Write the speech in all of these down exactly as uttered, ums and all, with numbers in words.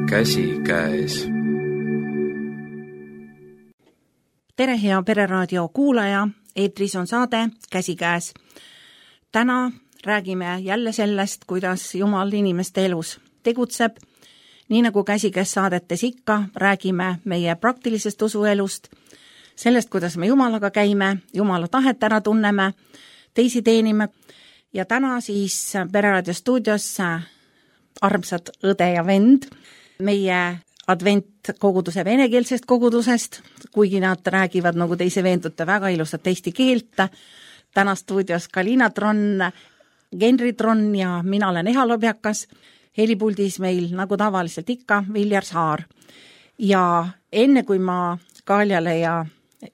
Käsikäes. Tere, hea Pereraadio kuulaja, eetris on saade Käsikäes. Täna räägime jälle sellest, kuidas Jumal inimeste elus tegutseb. Nii nagu Käsikäes saadetes ikka, räägime meie praktilisest usuelust, sellest, kuidas me Jumalaga käime, Jumala tahet ära tunneme, teisi teenime. Ja täna siis Pereraadio stuudios armsad õde ja vend meie adventkoguduse venekeelsest kogudusest, kuigi nad räägivad nagu teise veendute väga ilusat eesti keelt. Täna stuudios Kalina Tron, Genri Tron ja mina olen Eha Lobjakas. Helipuldis meil nagu tavaliselt ikka Viljar Saar. Ja enne kui ma Kaljale ja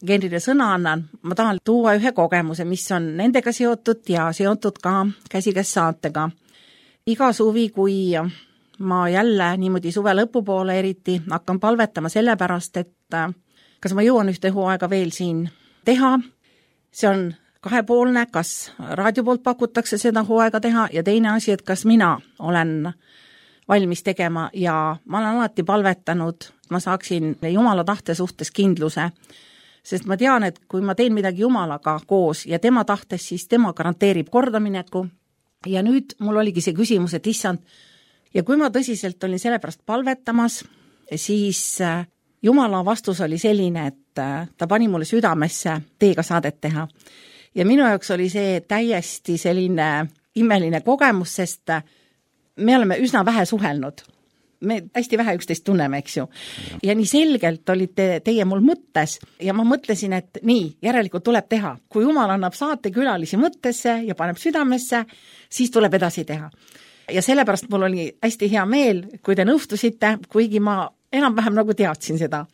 Genrile sõna annan, ma tahan tuua ühe kogemuse, mis on nendega seotud ja seotud ka Käsikäes saatega. Iga suvi, kui ma jälle niimoodi suve lõpupoole eriti hakkan palvetama selle pärast, et kas ma jõuan ühte hooaega veel siin teha. See on kahepoolne, kas raadio poolt pakutakse seda hooaega teha ja teine asi, et kas mina olen valmis tegema ja ma olen alati palvetanud, et ma saaksin Jumala tahte suhtes kindluse. Sest ma tean, et kui ma teen midagi Jumalaga koos ja tema tahtes, siis tema garanteerib kordamineku. Ja nüüd mul oligi see küsimus, et issand, ja kui ma tõsiselt olin selle pärast palvetamas, siis Jumala vastus oli selline, et ta pani mulle südamesse teiega saadet teha. Ja minu jaoks oli see täiesti selline imeline kogemus, sest me oleme üsna vähe suhelnud. Me hästi vähe üksteist tunneme, eks ju. Ja nii selgelt olite teie mul mõttes ja ma mõtlesin, et nii, järelikult tuleb teha. Kui Jumal annab saate külalisi mõttesse ja paneb südamesse, siis tuleb edasi teha. Ja sellepärast mul oli hästi hea meel, kui te nõustusite, kuigi ma enam-vähem nagu teadsin seda.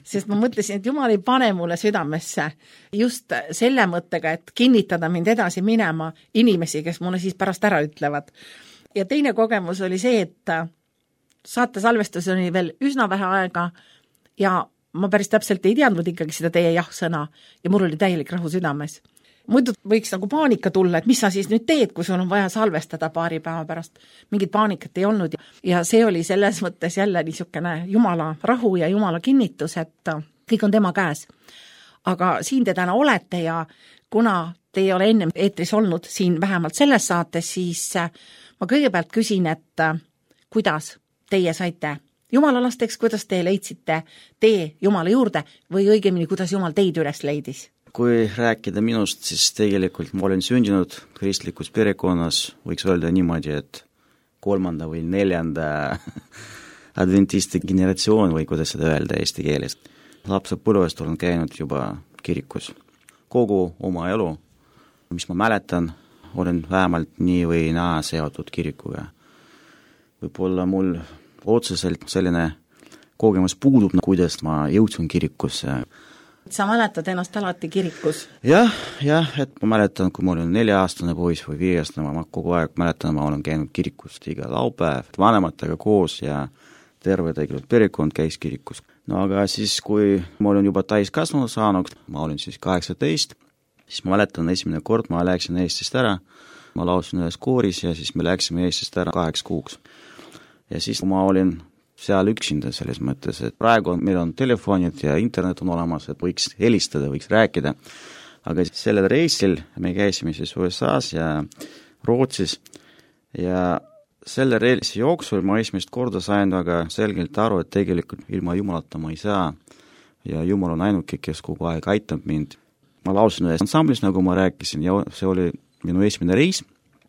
Sest ma mõtlesin, et Jumal ei pane mulle südamesse just selle mõttega, et kinnitada mind edasi minema inimesi, kes mulle siis pärast ära ütlevad. Ja teine kogemus oli see, et saate salvestus oli veel üsna vähe aega ja ma päris täpselt ei teadnud ikkagi seda teie jah-sõna ja mul oli täielik rahu südames. Muidu võiks nagu paanika tulla, et mis sa siis nüüd teed, kui sul on vaja salvestada paari päeva pärast. Mingit paanikat ei olnud ja see oli selles mõttes jälle niisugune Jumala rahu ja Jumala kinnitus, et kõik on tema käes. Aga siin te täna olete ja kuna te ei ole enne eetris olnud siin vähemalt selles saates, siis ma kõigepealt küsin, et kuidas teie saite Jumala lasteks, kuidas te leidsite tee Jumala juurde või õigemini, kuidas Jumal teid üles leidis? Kui rääkida minust, siis tegelikult ma olen sündinud kristlikus perekonnas, võiks öelda niimoodi, et kolmanda või neljanda adventisti generatsioon või kuidas seda öelda eesti keeles. Lapse põlvest olen käinud juba kirikus. Kogu oma elu, mis ma mäletan, olen vähemalt nii või naa seotud kirikuga. Võib-olla mul otseselt selline kogemus puudub, kuidas ma jõudsin kirikusse. Sa mäletad ennast alati kirikus? Jah, jah, et ma mäletan, kui ma olin nelja-aastane poiss või viiestane, ma kogu aeg mäletan, ma olen käinud kirikust iga laupäev, vanematega koos ja terve tegelikult perekond käis kirikus. No aga siis, kui ma olin juba täiskasvanud saanud, ma olin siis kaheksateist, siis ma mäletan esimene kord, ma läksin Eestist ära, ma laulsin ühes kooris ja siis me läksime Eestist ära kaheks kuuks. Ja siis ma olin seal üksinda selles mõttes, et praegu on, meil on telefonid ja internet on olemas, et võiks helistada, võiks rääkida. Aga sellel reisil me käisime siis U S A-s ja Rootsis ja selle reisi jooksul ma esimest korda sain väga selgelt aru, et tegelikult ilma Jumalata ma ei saa ja Jumal on ainuke, kes kogu aeg aitab mind. Ma laulsin ühes ansamblis, nagu ma rääkisin, ja see oli minu esimene reis.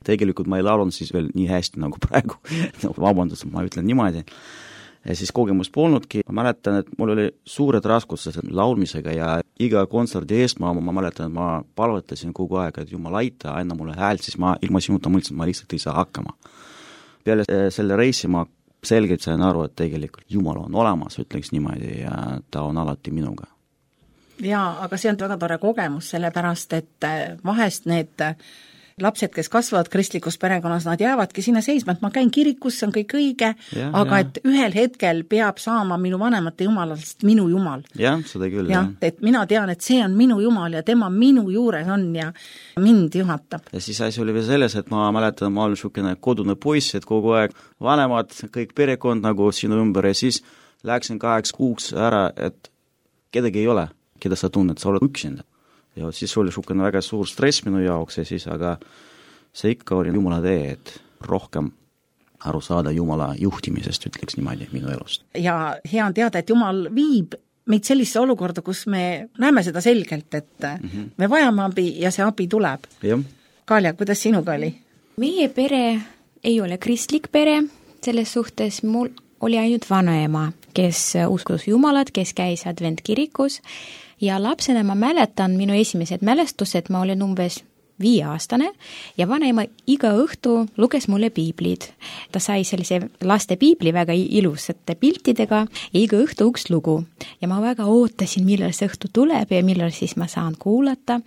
Tegelikult ma ei laulnud siis veel nii hästi nagu praegu, no, vabandust, ma ütlen niimoodi. Ja siis kogemus polnudki, ma mäletan, et mul oli suured raskused laulmisega ja iga kontserdi eest ma, ma mäletan, et ma palvetasin kogu aeg, et Jumal aita, anna mulle häält, siis ma ilma sinuta mõtlesin, ma lihtsalt ei saa hakkama. Peale selle reisi ma selgelt sain aru, et tegelikult Jumal on olemas, ütleks niimoodi, ja ta on alati minuga. Jaa, aga see on väga tore kogemus, sellepärast, et vahest need lapsed, kes kasvavad kristlikus perekonnas, nad jäävadki sinna seisma, et ma käin kirikus, see on kõik õige, aga ja. Et ühel hetkel peab saama minu vanemate jumalast minu jumal. Jah, seda küll. Ja, et mina tean, et see on minu jumal ja tema minu juures on ja mind juhatab. Ja siis asi oli veel selles, et ma mäletan, ma olen niisugune kodune poiss, et kogu aeg vanemad, kõik perekond nagu sinu ümber ja siis läksin kaheks kuuks ära, et kedagi ei ole, keda sa tunned, sa oled üksinda. Ja siis oli niisugune väga suur stress minu jaoks ja siis, aga see ikka oli Jumala tee, et rohkem aru saada Jumala juhtimisest, ütleks niimoodi minu elust. Ja hea on teada, et Jumal viib meid sellisse olukorda, kus me näeme seda selgelt, et mm-hmm. me vajame abi ja see abi tuleb. Jah. Kalja, kuidas sinuga oli? Meie pere ei ole kristlik pere, selles suhtes mul oli ainult vanaema, kes uskus Jumalat, kes käis adventkirikus ja lapsena ma mäletan minu esimesed mälestused, ma olin umbes viieaastane ja vanaema iga õhtu luges mulle piiblid. Ta sai sellise laste piibli väga ilusate piltidega ja iga õhtu üks lugu. Ja ma väga ootasin, millal see õhtu tuleb ja millal siis ma saan kuulata.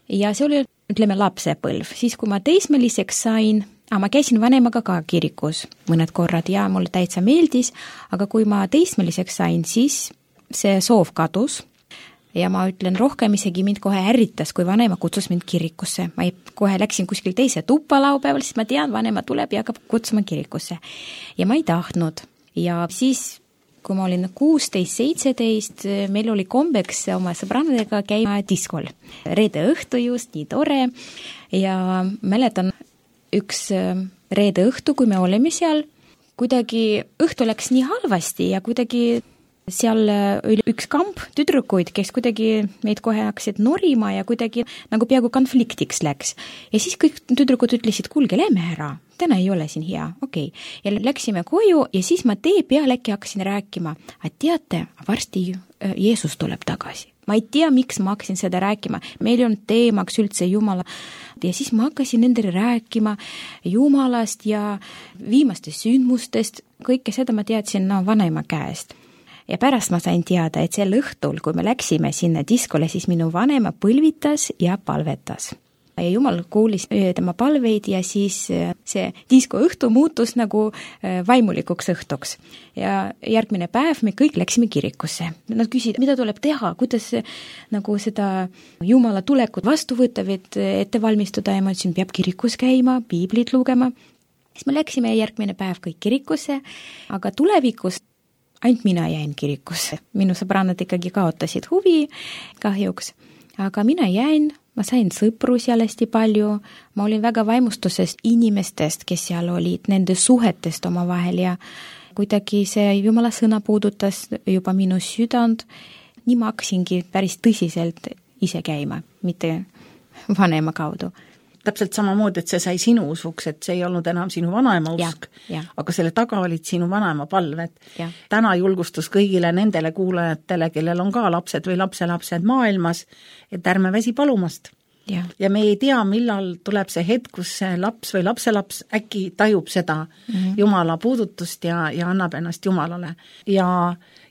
Ja see oli, ütleme, lapsepõlv. Siis kui ma teismeliseks sain, aga ma käisin vanemaga ka kirikus mõned korrad ja mulle täitsa meeldis, aga kui ma teismeliseks sain, siis see soov kadus. Ja ma ütlen, rohkem isegi mind kohe ärritas, kui vanema kutsus mind kirikusse. Ma ei, kohe läksin kuskil teise tuppa laupäeval, siis ma tean, vanema tuleb ja hakkab kutsuma kirikusse. Ja ma ei tahtnud. Ja siis, kui ma olin kuusteist seitseteist, meil oli kombeks oma sõbrannadega käima diskol. Reede õhtu just, nii tore. Ja mäletan üks reede õhtu, kui me olime seal, kuidagi õhtu läks nii halvasti ja kuidagi seal oli üks kamp tüdrukuid, kes kuidagi meid kohe hakkasid norima ja kuidagi nagu peaaegu konfliktiks läks. Ja siis kõik tüdrukud ütlesid, kuulge, lähme ära, täna ei ole siin hea, okei. Okay. Ja läksime koju ja siis ma tee peal äkki hakkasin rääkima, et teate, varsti Jeesus tuleb tagasi. Ma ei tea, miks ma hakkasin seda rääkima. Meil on teemaks üldse Jumala. Ja siis ma hakkasin nendele rääkima Jumalast ja viimastest sündmustest. Kõike seda ma teadsin no, vanaema käest. Ja pärast ma sain teada, et sel õhtul, kui me läksime sinna diskole, siis minu vanema põlvitas ja palvetas. Ja Jumal kuulis tema palveid ja siis see disko õhtu muutus nagu vaimulikuks õhtuks. Ja järgmine päev me kõik läksime kirikusse. Nad küsisid, mida tuleb teha, kuidas nagu seda Jumala tulekut vastu võtta, ette valmistuda ja ma ütlesin, peab kirikus käima, piiblit lugema. Siis me läksime järgmine päev kõik kirikusse, aga tulevikus ainult mina jäin kirikusse. Minu sõbrannad ikkagi kaotasid huvi kahjuks, aga mina jäin, ma sain sõpru seal hästi palju, ma olin väga vaimustusest inimestest, kes seal olid, nende suhetest oma vahel ja kuidagi see Jumala sõna puudutas juba minu südant, nii ma hakkasingi päris tõsiselt ise käima, mitte vanema kaudu. Täpselt samamoodi, et see sai sinu usuks, et see ei olnud enam sinu vanaema usk, ja, ja. Aga selle taga olid sinu vanaema palved. Ja. Täna julgustus kõigile nendele kuulajatele, kellel on ka lapsed või lapselapsed maailmas, et ärme väsi palumast. Ja. ja me ei tea, millal tuleb see hetk, kus see laps või lapselaps äkki tajub seda mm-hmm. Jumala puudutust ja, ja annab ennast Jumalale. Ja,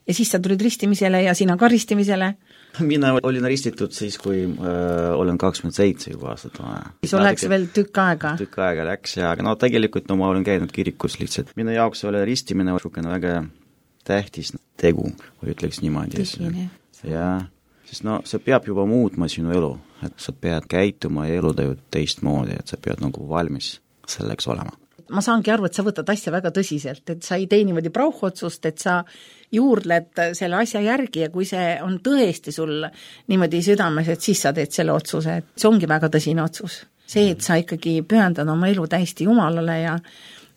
ja siis sa tulid ristimisele ja sina ka ristimisele. Mina olin ristitud siis, kui äh, olen kakskümmend seitse juba aastat vana. Siis oleks veel tükk aega? Tükk aega läks ja no tegelikult no, ma olen käinud kirikus lihtsalt. Minu jaoks oli ristimine väga tähtis tegu, või ütleks niimoodi. Ja, sest no see peab juba muutma sinu elu, et sa pead käituma ja elu tajud teistmoodi, et sa pead nagu valmis selleks olema. Ma saangi aru, et sa võtad asja väga tõsiselt, et sa ei tee niimoodi prauhotsust, et sa juurdled selle asja järgi ja kui see on tõesti sul niimoodi südames, et siis sa teed selle otsuse, et see ongi väga tõsine otsus. See, et sa ikkagi pühendad oma elu täiesti Jumalale ja,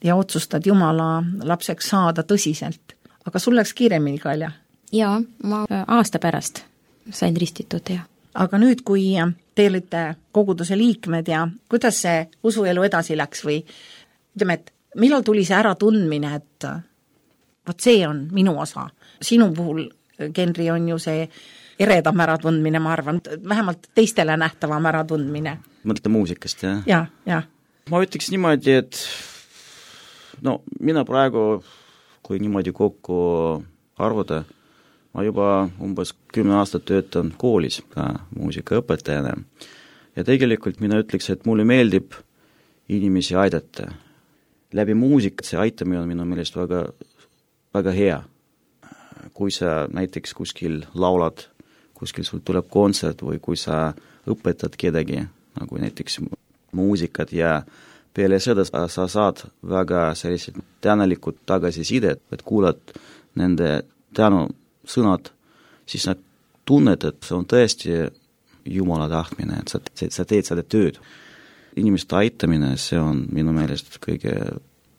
ja otsustad Jumala lapseks saada tõsiselt. Aga sul läks kiiremini, Kalja? Jaa, ma aasta pärast sain ristitud, jah. Aga nüüd, kui te olite koguduse liikmed ja kuidas see usuelu edasi läks või ütleme, et millal tuli see äratundmine, et vot see on minu osa. Sinu puhul, Genri, on ju see eredam äratundmine, ma arvan, vähemalt teistele nähtavam äratundmine. Mõtlete muusikast, jah? Ja, ja. Ma ütleks niimoodi, et no mina praegu, kui niimoodi kokku arvuda, ma juba umbes kümme aastat töötan koolis ka muusikaõpetajana. ja tegelikult mina ütleks, et mulle meeldib inimesi aidata. Läbi muusikat see aitamine on minu meelest väga, väga hea. Kui sa näiteks kuskil laulad, kuskil sul tuleb kontsert või kui sa õpetad kedagi, nagu näiteks muusikat ja peale seda sa saad väga sellised tänalikud tagasisidet, et kuulad nende tänu sõnad, siis nad tunned, et see on tõesti Jumala tahtmine, et sa, sa teed seda tööd. Inimeste aitamine, see on minu meelest kõige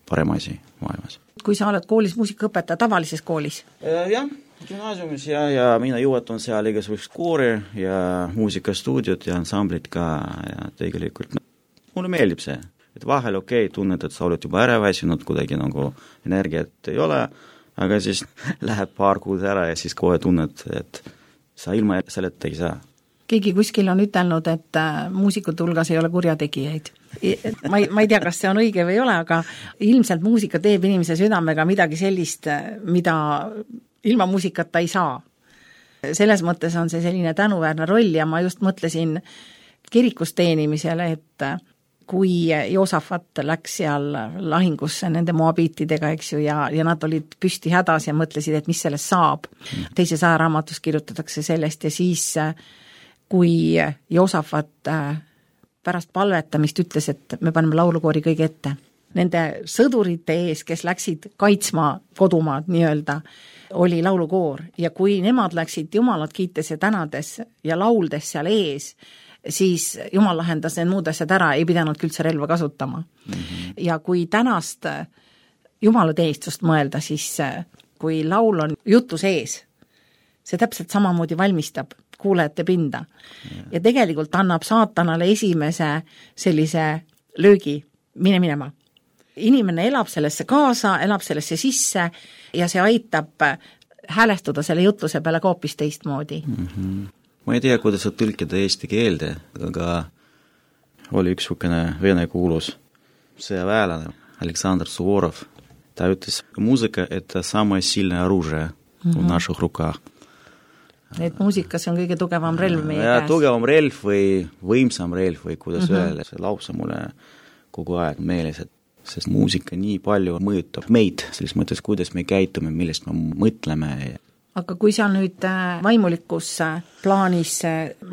parem asi maailmas. Kui sa oled koolis muusikaõpetaja, tavalises koolis? Jah, gümnaasiumis ja, ja mina juhatan seal igasugust koori ja muusikastuudiot ja ansamblit ka ja tegelikult no, mulle meeldib see, et vahel okei okay, tunned, et sa oled juba ära väsinud, kuidagi nagu energiat ei ole, aga siis läheb paar kuud ära ja siis kohe tunned, et sa ilma selleta ei saa. Keegi kuskil on ütelnud, et muusikute hulgas ei ole kurjategijaid. Ma ei, ma ei tea, kas see on õige või ei ole, aga ilmselt muusika teeb inimese südamega midagi sellist, mida ilma muusikata ei saa. Selles mõttes on see selline tänuväärne roll ja ma just mõtlesin kirikus teenimisele, et kui Joosafat läks seal lahingusse nende moabiitidega, eks ju, ja, ja nad olid püsti hädas ja mõtlesid, et mis sellest saab. Teises ajaraamatus kirjutatakse sellest ja siis kui Joosafat pärast palvetamist ütles, et me paneme laulukoori kõige ette. Nende sõdurite ees, kes läksid kaitsma kodumaad nii-öelda, oli laulukoor ja kui nemad läksid Jumalat kiites ja tänades ja lauldes seal ees, siis Jumal lahendas need muud asjad ära, ei pidanud üldse relva kasutama. Mm-hmm. Ja kui tänast Jumala teenistust mõelda, siis kui laul on jutu sees, see täpselt samamoodi valmistab kuulajate pinda. Ja. ja tegelikult annab saatanale esimese sellise löögi, mine minema. Inimene elab sellesse kaasa, elab sellesse sisse ja see aitab häälestuda selle jutluse peale ka hoopis teistmoodi. Mm-hmm. Ma ei tea, kuidas sa tõlkida eesti keelde, aga oli üks sukene vene kuulus sõjaväelane, Aleksandr Suvorov. Ta ütles, muusika, et самое сильное оружие mm-hmm. в наших руках. Et muusikas on kõige tugevam relv meie ja, käes. Tugevam relv või võimsam relv või kuidas mm-hmm. öelda, see lause mulle kogu aeg meeles, et sest muusika nii palju mõjutab meid, selles mõttes, kuidas me käitume, millest me mõtleme. Aga kui sa nüüd vaimulikus plaanis,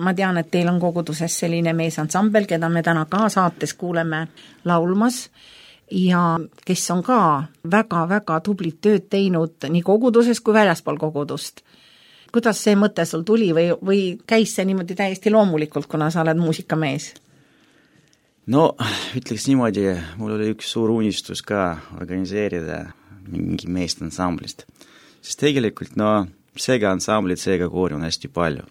ma tean, et teil on koguduses selline meesansambel, keda me täna ka saates kuuleme laulmas ja kes on ka väga-väga tublit tööd teinud nii koguduses kui väljaspool kogudust. Kuidas see mõte sul tuli või, või käis see niimoodi täiesti loomulikult, kuna sa oled muusikamees? No, ütleks niimoodi, mul oli üks suur unistus ka organiseerida mingi meest ansamblist. Sest tegelikult, no, seega ansamblit, seega koori on hästi palju.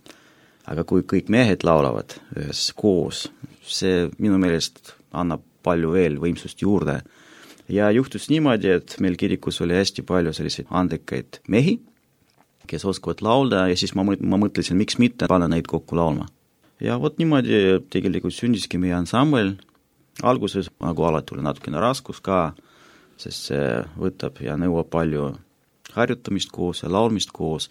Aga kui kõik mehed laulavad ühes koos, see minu meelest annab palju veel võimsust juurde. Ja juhtus niimoodi, et meil kirikus oli hästi palju selliseid andekaid mehi, kes oskavad laulda ja siis ma, ma mõtlesin, miks mitte panna neid kokku laulma. Ja vot niimoodi tegelikult sündiski meie ansambel. Alguses nagu alati oli natukene raskus ka, sest see võtab ja nõuab palju harjutamist koos ja laulmist koos.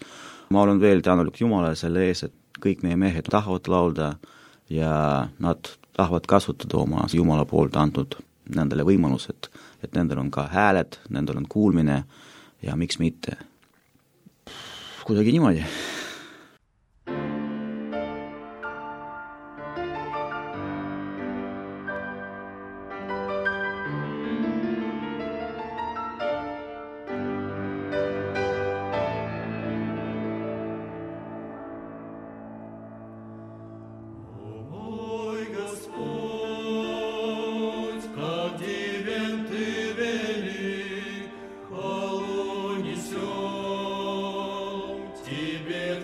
Ma olen veel tänulik Jumalale selle ees, et kõik meie mehed tahavad laulda ja nad tahavad kasutada oma Jumala poolt antud nendele võimalused, et nendel on ka hääled, nendel on kuulmine ja miks mitte. Kuidagi niimoodi. Тебе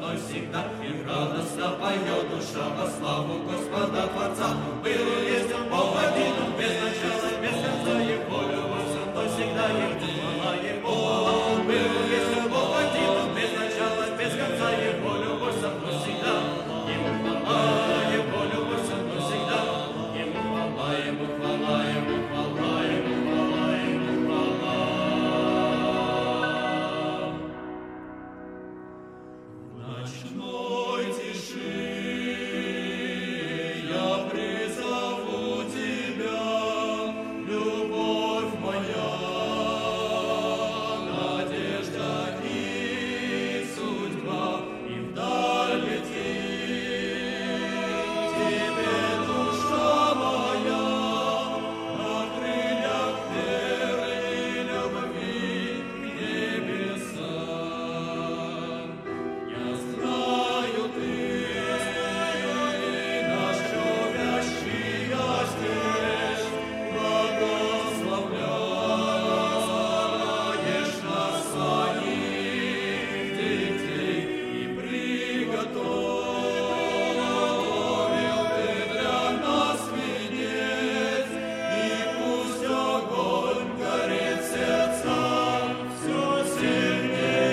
мной всегда, и радостно поет душа во славу Господа Творца. Был и есть Он Бог один, Он без начала, без конца, и волю во со мной всегда, Ему хвала, Ему хвала. Был и есть Он Бог один, Он без начала, без конца, и волю во со мной всегда, Ему хвала, и волю во со мной всегда, Ему хвала, Ему хвала, Ему хвала, Ему хвала, Ему хвала. В ночной тиши я призову Тебя, любовь моя, надежда и судьба, и вдаль летит Тебе душа моя, на крыльях веры и любви к небесам. Я знаю, Ты наш любящий Отец, благословляешь нас своих детей и приготовил Ты для нас венец, и пусть огонь горит в сердцах все сильней.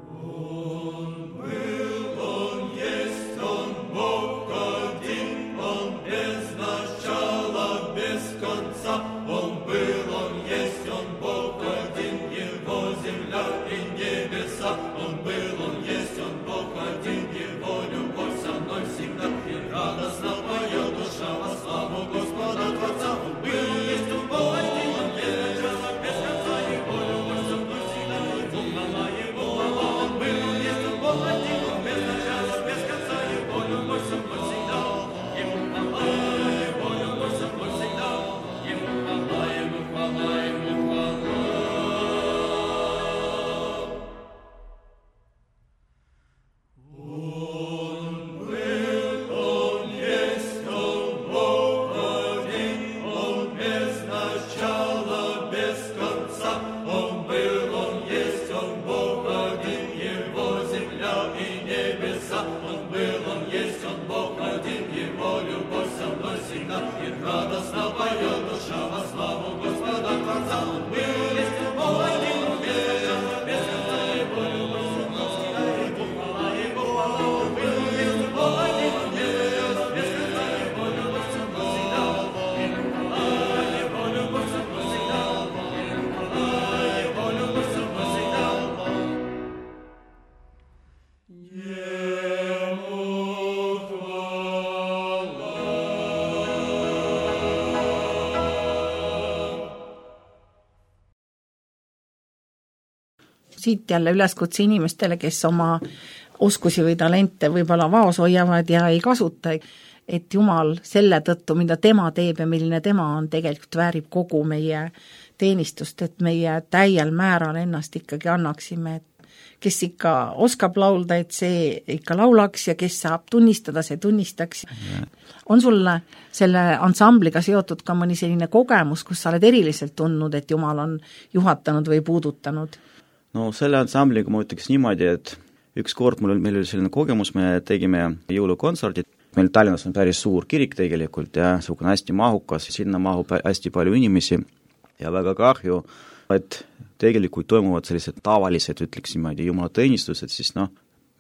Он был, Он есть, Он Бог один, Он без начала, без конца. Он был, Он есть, Он Бог один, Его земля и небеса. Он был, Он есть, Он Бог один, Его любовь со мной всегда, и радостно поет душа во славу Господа Творца. Он был, есть, Он Бог один, Он без начала, без конца, Его любовь со мной всегда, Ему хвала, Ему хвала. Он был, Он есть, Он Бог один, Он без начала, без конца, Его любовь со мной всегда, Ему хвала, Его любовь со мной всегда, Ему хвала, Ему хвала, Ему хвала. Он был, Он есть, Он Бог один, Он без начала, без конца. Он был, Он есть, Он Бог один, Его земля и небеса. Он был, Он есть, Он Бог один, Его любовь со мной всегда, и радостно поет душа во славу Господа Творца. Он был, есть, Он Бог один, Он без начала, без конца, Его любовь со мной всегда, Ему хвала, Ему хвала. Он был, есть, Он Бог один, Он без начала, без конца, Его любовь со мной всегда, Ему хвала, Его любовь со мной всегда, Ему хвала, Его любовь со мной всегда. Ему хвала. Siit jälle üleskutse inimestele, kes oma oskusi või talente võib-olla vaos hoiavad ja ei kasuta, et Jumal selle tõttu, mida tema teeb ja milline tema on, tegelikult väärib kogu meie teenistust, et meie täiel määral ennast ikkagi annaksime, et kes ikka oskab laulda, et see ikka laulaks ja kes saab tunnistada, see tunnistaks. On sulle selle ansambliga seotud ka mõni selline kogemus, kus sa oled eriliselt tundnud, et Jumal on juhatanud või puudutanud? No selle ansambliga ma ütleks niimoodi, et üks kord mul, meil oli selline kogemus, me tegime jõulukontserdit, meil Tallinnas on päris suur kirik tegelikult ja suhkune hästi mahukas, sinna mahub hästi palju inimesi ja väga kahju, et tegelikult toimuvad sellised tavalised, ütleks niimoodi, jumalateenistused, siis noh,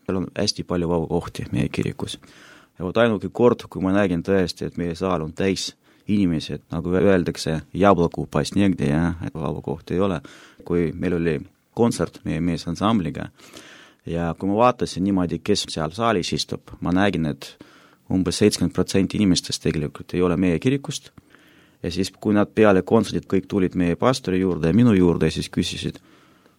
meil on hästi palju vaba kohti meie kirikus. Ja vot ainuke kord, kui ma nägin tõesti, et meie saal on täis inimesi, et nagu öeldakse, jablakuu paist negde ja et vaba kohti ei ole, kui meil oli kontsert meie meesansambliga ja kui ma vaatasin niimoodi, kes seal saalis istub, ma nägin, et umbes seitsekümmend protsenti inimestest tegelikult ei ole meie kirikust ja siis, kui nad peale kontserdit kõik tulid meie pastori juurde ja minu juurde ja siis küsisid,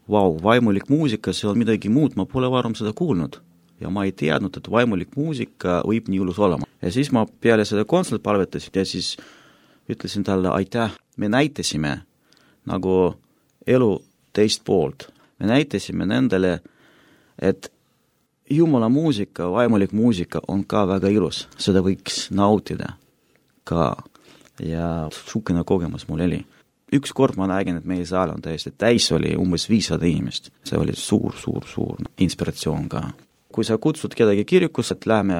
vau, vaimulik muusika, see on midagi muud, ma pole varem seda kuulnud ja ma ei teadnud, et vaimulik muusika võib nii ilus olema. Ja siis ma peale seda kontsert palvetasin ja siis ütlesin talle, aitäh, me näitasime nagu elu teist poolt. Me näitasime nendele, et Jumala muusika, vaimulik muusika on ka väga ilus, seda võiks nautida ka ja sukene kogemus mul oli. üks kord ma nägin, et meie saal on täiesti täis, oli umbes viissada inimest. See oli suur, suur, suur inspiratsioon ka. Kui sa kutsud kedagi kirikusse, et lähme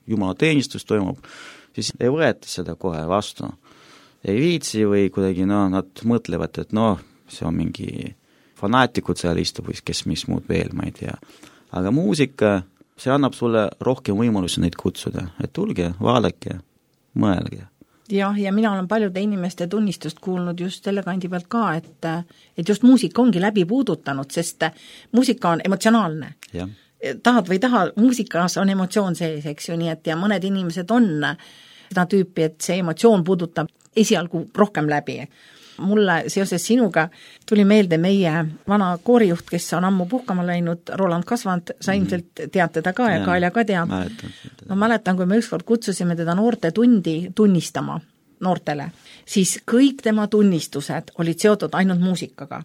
Jumala teenistus toimub, siis ei võeta seda kohe vastu. Ei viitsi või kuidagi, no, nad mõtlevad, et noh, see on mingi fanaatikud seal istub või kes mis muud veel, ma ei tea. Aga muusika, see annab sulle rohkem võimalusi neid kutsuda, et tulge, vaadake, mõelge. Jah, ja mina olen paljude inimeste tunnistust kuulnud just selle kandi pealt ka, et, et just muusika ongi läbi puudutanud, sest muusika on emotsionaalne. Jah. Tahad või taha, muusikas on emotsioon sees, eks ju, nii et ja mõned inimesed on seda tüüpi, et see emotsioon puudutab esialgu rohkem läbi. Mulle seoses sinuga tuli meelde meie vana koorijuht, kes on ammu puhkama läinud, Roland Kasvand, sa ilmselt tead teda ka ja, ja Kaelja ka teab. Mäletan. Ma mäletan, kui me ükskord kutsusime teda noorte tundi tunnistama noortele, siis kõik tema tunnistused olid seotud ainult muusikaga.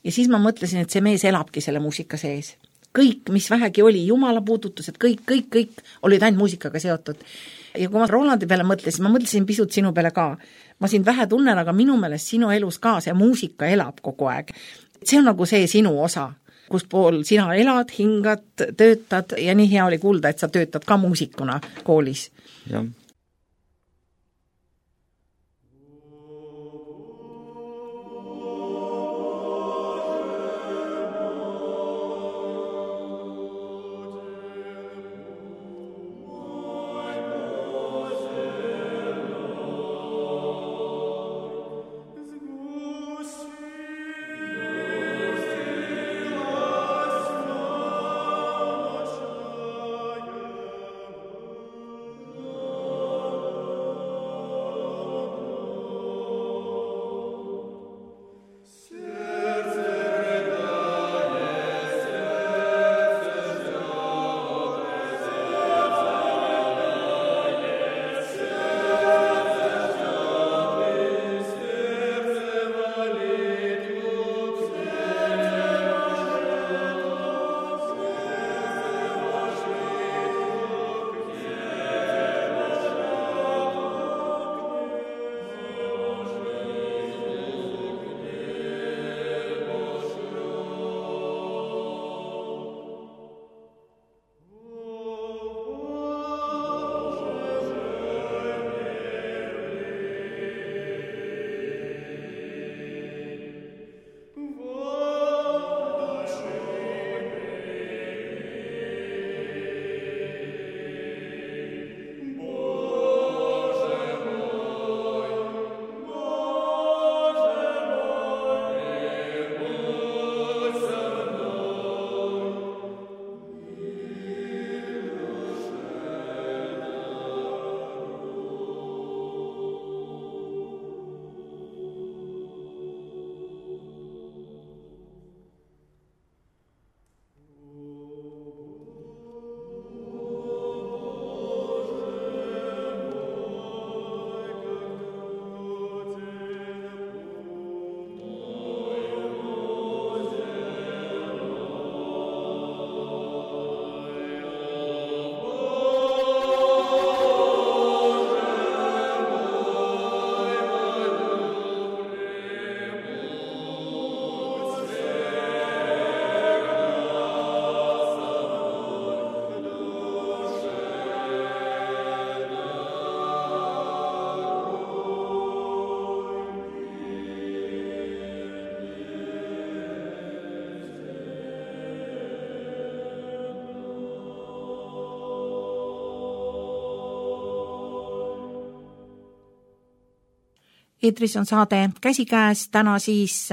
Ja siis ma mõtlesin, et see mees elabki selle muusika sees. Kõik, mis vähegi oli, Jumala puudutused, kõik, kõik, kõik olid ainult muusikaga seotud. Ja kui ma Rolandi peale mõtlesin, ma mõtlesin pisut sinu peale ka. Ma sind vähe tunnen, aga minu meelest sinu elus ka see muusika elab kogu aeg. See on nagu see sinu osa, kus pool sina elad, hingad, töötad ja nii hea oli kuulda, et sa töötad ka muusikuna koolis. Jah. Eetris on saade Käsikäes, täna siis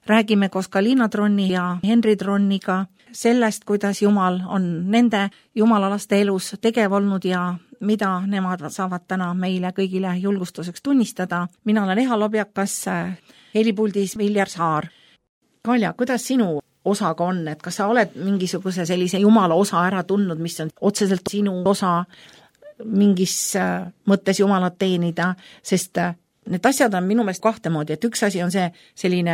räägime koos ka Liina Tronni ja Henri Tronniga sellest, kuidas Jumal on nende jumalalaste elus tegev olnud ja mida nemad saavad täna meile kõigile julgustuseks tunnistada. Mina olen Eha Lobjakas, helipuldis Viljar Saar. Kalja, kuidas sinu osaga on, et kas sa oled mingisuguse sellise Jumala osa ära tundnud, mis on otseselt sinu osa mingis mõttes Jumalat teenida, sest need asjad on minu meelest kahte moodi, et üks asi on see selline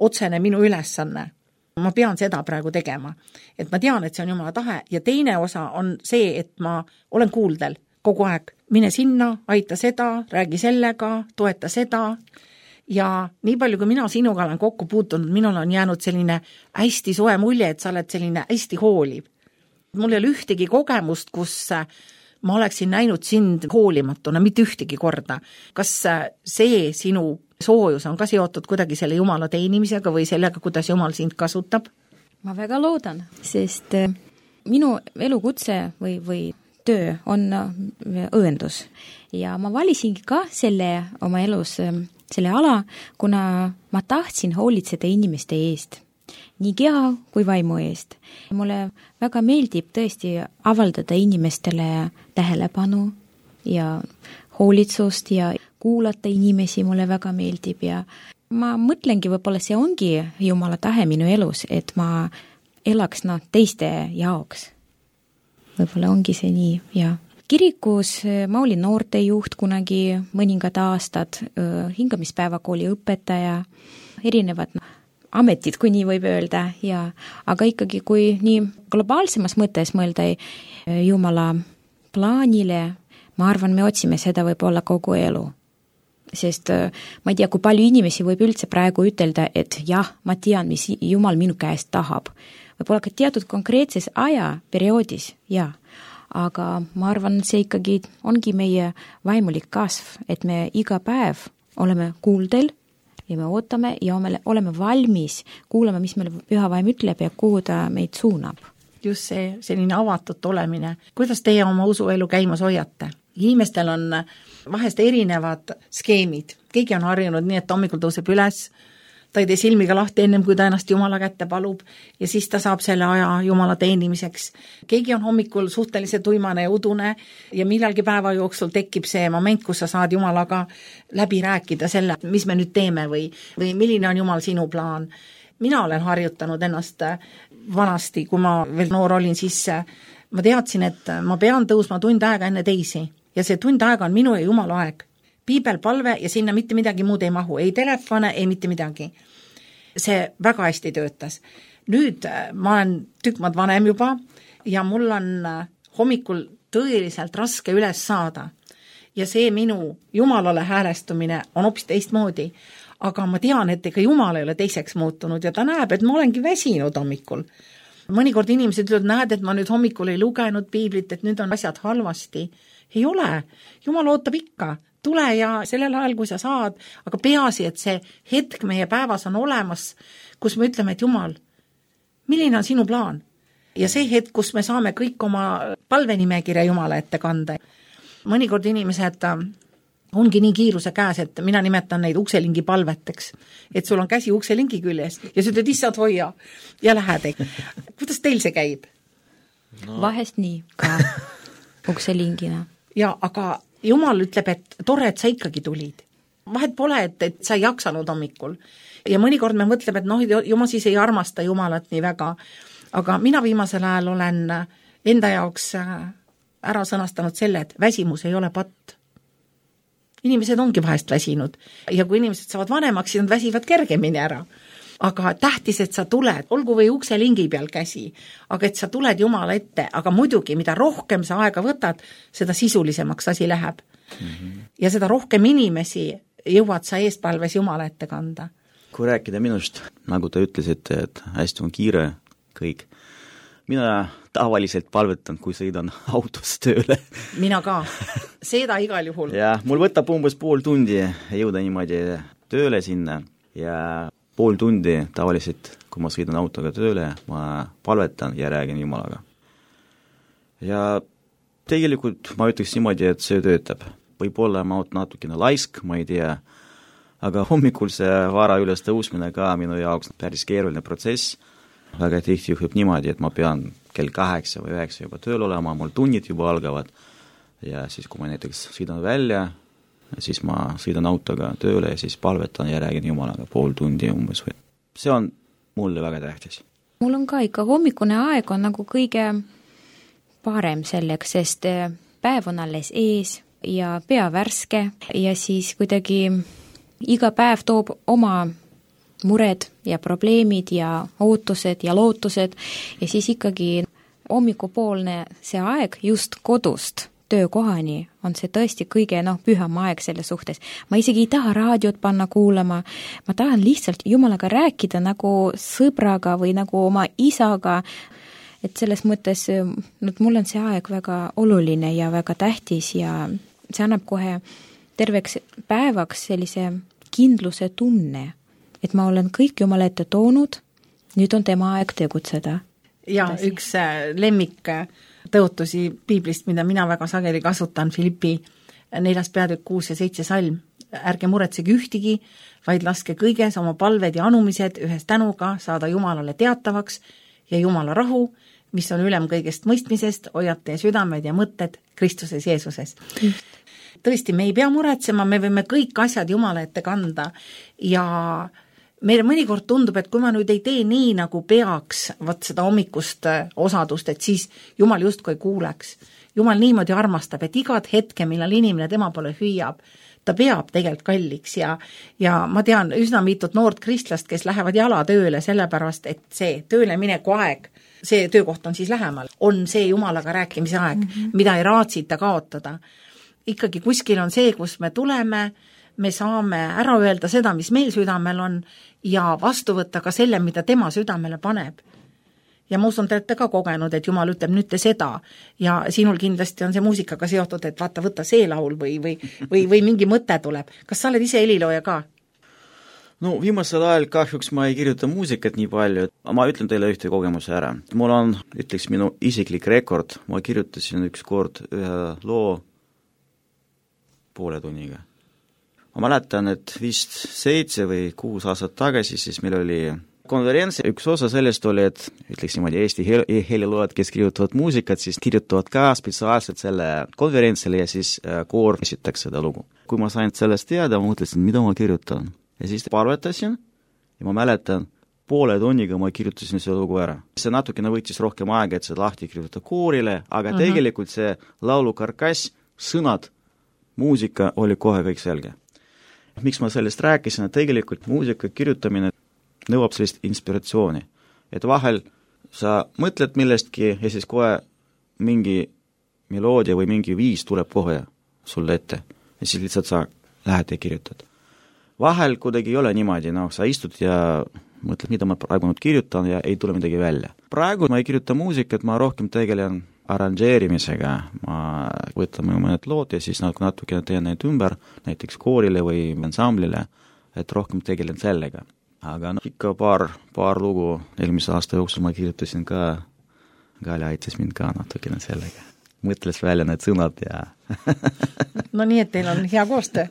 otsene minu ülesanne. Ma pean seda praegu tegema. Et ma tean, et see on Jumala tahe ja teine osa on see, et ma olen kuuldel kogu aeg. Mine sinna, aita seda, räägi sellega, toeta seda ja nii palju, kui mina sinuga olen kokku puutunud, minul on jäänud selline hästi soe mulje, et sa oled selline hästi hooliv. Mul ei ole ühtegi kogemust, kus ma oleksin näinud sind hoolimatuna, mitte ühtegi korda. Kas see sinu soojus on ka seotud kuidagi selle Jumala teenimisega või sellega, kuidas Jumal sind kasutab? Ma väga loodan, sest minu elukutse või, või töö on õendus ja ma valisingi ka selle oma elus, selle ala, kuna ma tahtsin hoolitseda inimeste eest, nii keha kui vaimu eest. Mulle väga meeldib tõesti avaldada inimestele tähelepanu ja hoolitsust ja kuulata inimesi mulle väga meeldib ja ma mõtlengi, võib-olla see ongi Jumala tahe minu elus, et ma elaks no, teiste jaoks. Võib-olla ongi see nii, ja kirikus ma olin noortejuht kunagi mõningad aastad, hingamispäevakooli õpetaja, erinevad no, ametid, kui nii võib öelda, ja, aga ikkagi kui nii globaalsemas mõttes mõelda Jumala plaanile, ma arvan, me otsime seda võib-olla kogu elu. Sest ma ei tea, kui palju inimesi võib üldse praegu ütelda, et jah, ma tean, mis Jumal minu käest tahab. Võib-olla ka teatud konkreetses ajaperioodis, jah. Aga ma arvan, see ikkagi ongi meie vaimulik kasv, et me iga päev oleme kuuldel ja me ootame ja oleme valmis kuulama, mis meil püha vaim ütleb ja kuhu ta meid suunab. Just see selline avatud olemine. Kuidas teie oma usuelu käimas hoiate? Inimestel on vahest erinevad skeemid. Keegi on harjunud nii, et hommikul tõuseb üles, ta ei tee silmiga lahti ennem, kui ta ennast Jumala kätte palub ja siis ta saab selle aja Jumala teenimiseks. Keegi on hommikul suhteliselt uimane ja udune ja millalgi päeva jooksul tekib see moment, kus sa saad Jumalaga läbi rääkida selle, mis me nüüd teeme või, või milline on Jumal sinu plaan. Mina olen harjutanud ennast vanasti, kui ma veel noor olin, siis ma teadsin, et ma pean tõusma tund aega enne teisi ja see tund aega on minu ja Jumala aeg. Piibelpalve ja sinna mitte midagi muud ei mahu, ei telefone, ei mitte midagi. See väga hästi töötas. Nüüd ma olen tükk maad vanem juba ja mul on hommikul tõeliselt raske üles saada. Ja see minu Jumalale häälestumine on hoopis teistmoodi. Aga ma tean, et ega Jumal ei ole teiseks muutunud ja ta näeb, et ma olengi väsinud hommikul. Mõnikord inimesed ütlevad, näed, et ma nüüd hommikul ei lugenud piiblit, et nüüd on asjad halvasti. Ei ole. Jumal ootab ikka. Tule ja sellel ajal, kui sa saad, aga peaasi, et see hetk meie päevas on olemas, kus me ütleme, et Jumal, milline on sinu plaan? Ja see hetk, kus me saame kõik oma palvenimekirja Jumala ette kanda. Mõnikord inimesed ongi nii kiiruse käes, et mina nimetan neid ukselingi palveteks, et sul on käsi ukselingi küljes ja sa ütled, issand hoia ja lähed. Kuidas teil see käib? No. Vahest nii ka ukselingina. Ja, aga Jumal ütleb, et tore, et sa ikkagi tulid. Vahet pole, et, et sa ei jaksanud hommikul. Ja mõnikord me mõtleme, et noh, Jumal siis ei armasta Jumalat nii väga. Aga mina viimasel ajal olen enda jaoks ära sõnastanud selle, et väsimus ei ole patt. Inimesed ongi vahest väsinud. Ja kui inimesed saavad vanemaks, siis nad väsivad kergemini ära. Aga tähtis, et sa tuled, olgu või ukselingi peal käsi, aga et sa tuled Jumala ette, aga muidugi, mida rohkem sa aega võtad, seda sisulisemaks asi läheb. Mm-hmm. Ja seda rohkem inimesi jõuad sa eespalves Jumala ette kanda. Kui rääkida minust, nagu te ütlesite, et hästi on kiire kõik. Mina tavaliselt palvetan, kui sõidan autos tööle. Mina ka. Seda igal juhul. Ja mul võtab umbes pool tundi jõuda niimoodi tööle sinna ja pool tundi tavaliselt, kui ma sõidan autoga tööle, ma palvetan ja räägin Jumalaga. Ja tegelikult ma ütleks niimoodi, et see töötab. Võib-olla ma olen natukene laisk, ma ei tea, aga hommikul see vara üles tõusmine ka minu jaoks päris keeruline protsess. Väga tihti juhib niimoodi, et ma pean kell kaheksa või üheksa juba tööl olema, mul tunnid juba algavad ja siis, kui ma näiteks sõidan välja, siis ma sõidan autoga tööle ja siis palvetan ja räägin Jumalaga pool tundi umbes. See on mulle väga tähtis. Mul on ka ikka hommikune aeg on nagu kõige parem selleks, sest päev on alles ees ja pea värske ja siis kuidagi iga päev toob oma mured ja probleemid ja ootused ja lootused ja siis ikkagi hommikupoolne see aeg just kodust töökohani on see tõesti kõige noh, püham aeg selle suhtes. Ma isegi ei taha raadiot panna kuulama, ma tahan lihtsalt Jumalaga rääkida nagu sõbraga või nagu oma isaga, et selles mõttes no, mul on see aeg väga oluline ja väga tähtis ja see annab kohe terveks päevaks sellise kindluse tunne, et ma olen kõik Jumala ette toonud, nüüd on tema aeg tegutseda. Ja Tasi. Üks lemmik tõotusi piiblist, mida mina väga sageli kasutan, Filippi neljas peatükk kuus ja seitse salm. Ärge muretsege ühtigi, vaid laske kõiges oma palved ja anumised ühes tänuga saada Jumalale teatavaks ja Jumala rahu, mis on ülem kõigest mõistmisest, hoiate südamed ja mõtted Kristuses Jeesuses. Tõesti, me ei pea muretsema, me võime kõik asjad Jumala ette kanda ja meile mõnikord tundub, et kui ma nüüd ei tee nii, nagu peaks võt seda hommikust osadust, et siis Jumal justkui ei kuuleks. Jumal niimoodi armastab, et igat hetke, millal inimene tema poole hüüab, ta peab tegelikult kalliks ja, ja ma tean üsna mitut noort kristlast, kes lähevad jala tööle sellepärast, et see tööle mineku aeg, see töökoht on siis lähemal, on see Jumalaga rääkimise aeg, mm-hmm. mida ei raatsita kaotada. Ikkagi kuskil on see, kus me tuleme, me saame ära öelda seda, mis meil südamel on ja vastu võtta ka selle, mida tema südamele paneb. Ja ma usun, te olete ka kogenud, et Jumal ütleb nüüd te seda ja sinul kindlasti on see muusikaga seotud, et vaata, võtta see laul või, või, või, või mingi mõte tuleb. Kas sa oled ise helilooja ka? No viimasel ajal kahjuks ma ei kirjuta muusikat nii palju, et ma ütlen teile ühte kogemuse ära. Mul on, ütleks, minu isiklik rekord, ma kirjutasin üks kord ühe loo poole tunniga. Ma mäletan, et vist seitse või kuus aastat tagasi, siis meil oli konverents, üks osa sellest oli, et ütleks niimoodi Eesti heliloojad, kes kirjutavad muusikat, siis kirjutavad ka spetsiaalselt selle konverentsile ja siis koor esitaks seda lugu. Kui ma sain sellest teada, ma mõtlesin, mida ma kirjutan. Ja siis palvetasin ja ma mäletan, poole tunniga ma kirjutasin selle lugu ära. See natukene võttis rohkem aega, et see lahti kirjutada koorile, aga uh-huh. tegelikult see laulu karkass, sõnad, muusika oli kohe kõik selge. Miks ma sellest rääkisin, et tegelikult muusika kirjutamine nõuab sellist inspiratsiooni. Et vahel sa mõtled millestki ja siis kohe mingi meloodia või mingi viis tuleb kohe sulle ette. Ja siis lihtsalt sa lähed ja kirjutad. Vahel kuidagi ei ole niimoodi, no sa istud ja mõtled, mida ma praegu nüüd kirjutan ja ei tule midagi välja. Praegu ma ei kirjuta muusikat, ma rohkem tegelen arranžeerimisega, ma võtan mõned lood ja siis natukene teen neid ümber, näiteks koorile või ansamblile, et rohkem tegelen sellega. Aga no, ikka paar, paar lugu eelmise aasta jooksul ma kirjutasin ka, Gali aitas mind ka natukene sellega. Mõtles välja need sõnad ja... No nii, et teil on hea koostöö.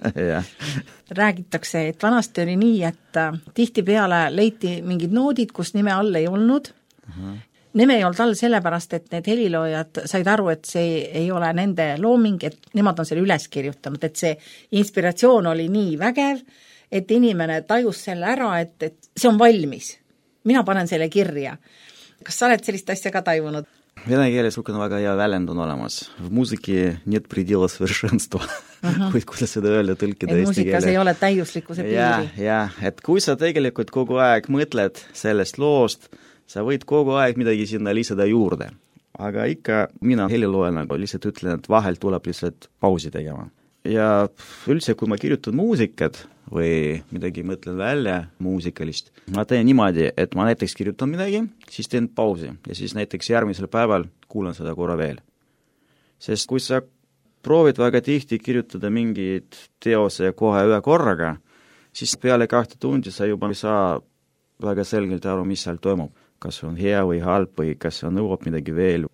Räägitakse, et vanasti oli nii, et tihti peale leiti mingid noodid, kus nime all ei olnud. Uh-huh. Nime ei olnud all sellepärast, et need heliloojad said aru, et see ei ole nende looming, et nemad on selle üles kirjutanud, et see inspiratsioon oli nii vägev, et inimene tajus selle ära, et, et see on valmis. Mina panen selle kirja. Kas sa oled sellist asja ka taivunud? Vene keeles on väga hea väljend on olemas. В музыке нет предела совершенства. Uh-huh. Kuidas seda öelda tõlkida eesti keele? Muusikas ei ole täiuslikkuse piiri. Ja, ja, et kui sa tegelikult kogu aeg mõtled sellest loost, sa võid kogu aeg midagi sinna lisada juurde. Aga ikka mina heliloojana lihtsalt ütlen, et vahel tuleb lihtsalt pausi tegema. Ja üldse, kui ma kirjutan muusikat või midagi mõtlen välja muusikalist, ma teen niimoodi, et ma näiteks kirjutan midagi, siis teen pausi ja siis näiteks järgmisel päeval kuulan seda korra veel. Sest kui sa proovid väga tihti kirjutada mingid teose kohe ühe korraga, siis peale kahte tundi sa juba ei saa väga selgelt aru, mis seal toimub. Kas on hea või halb või kas on nõuab midagi veel.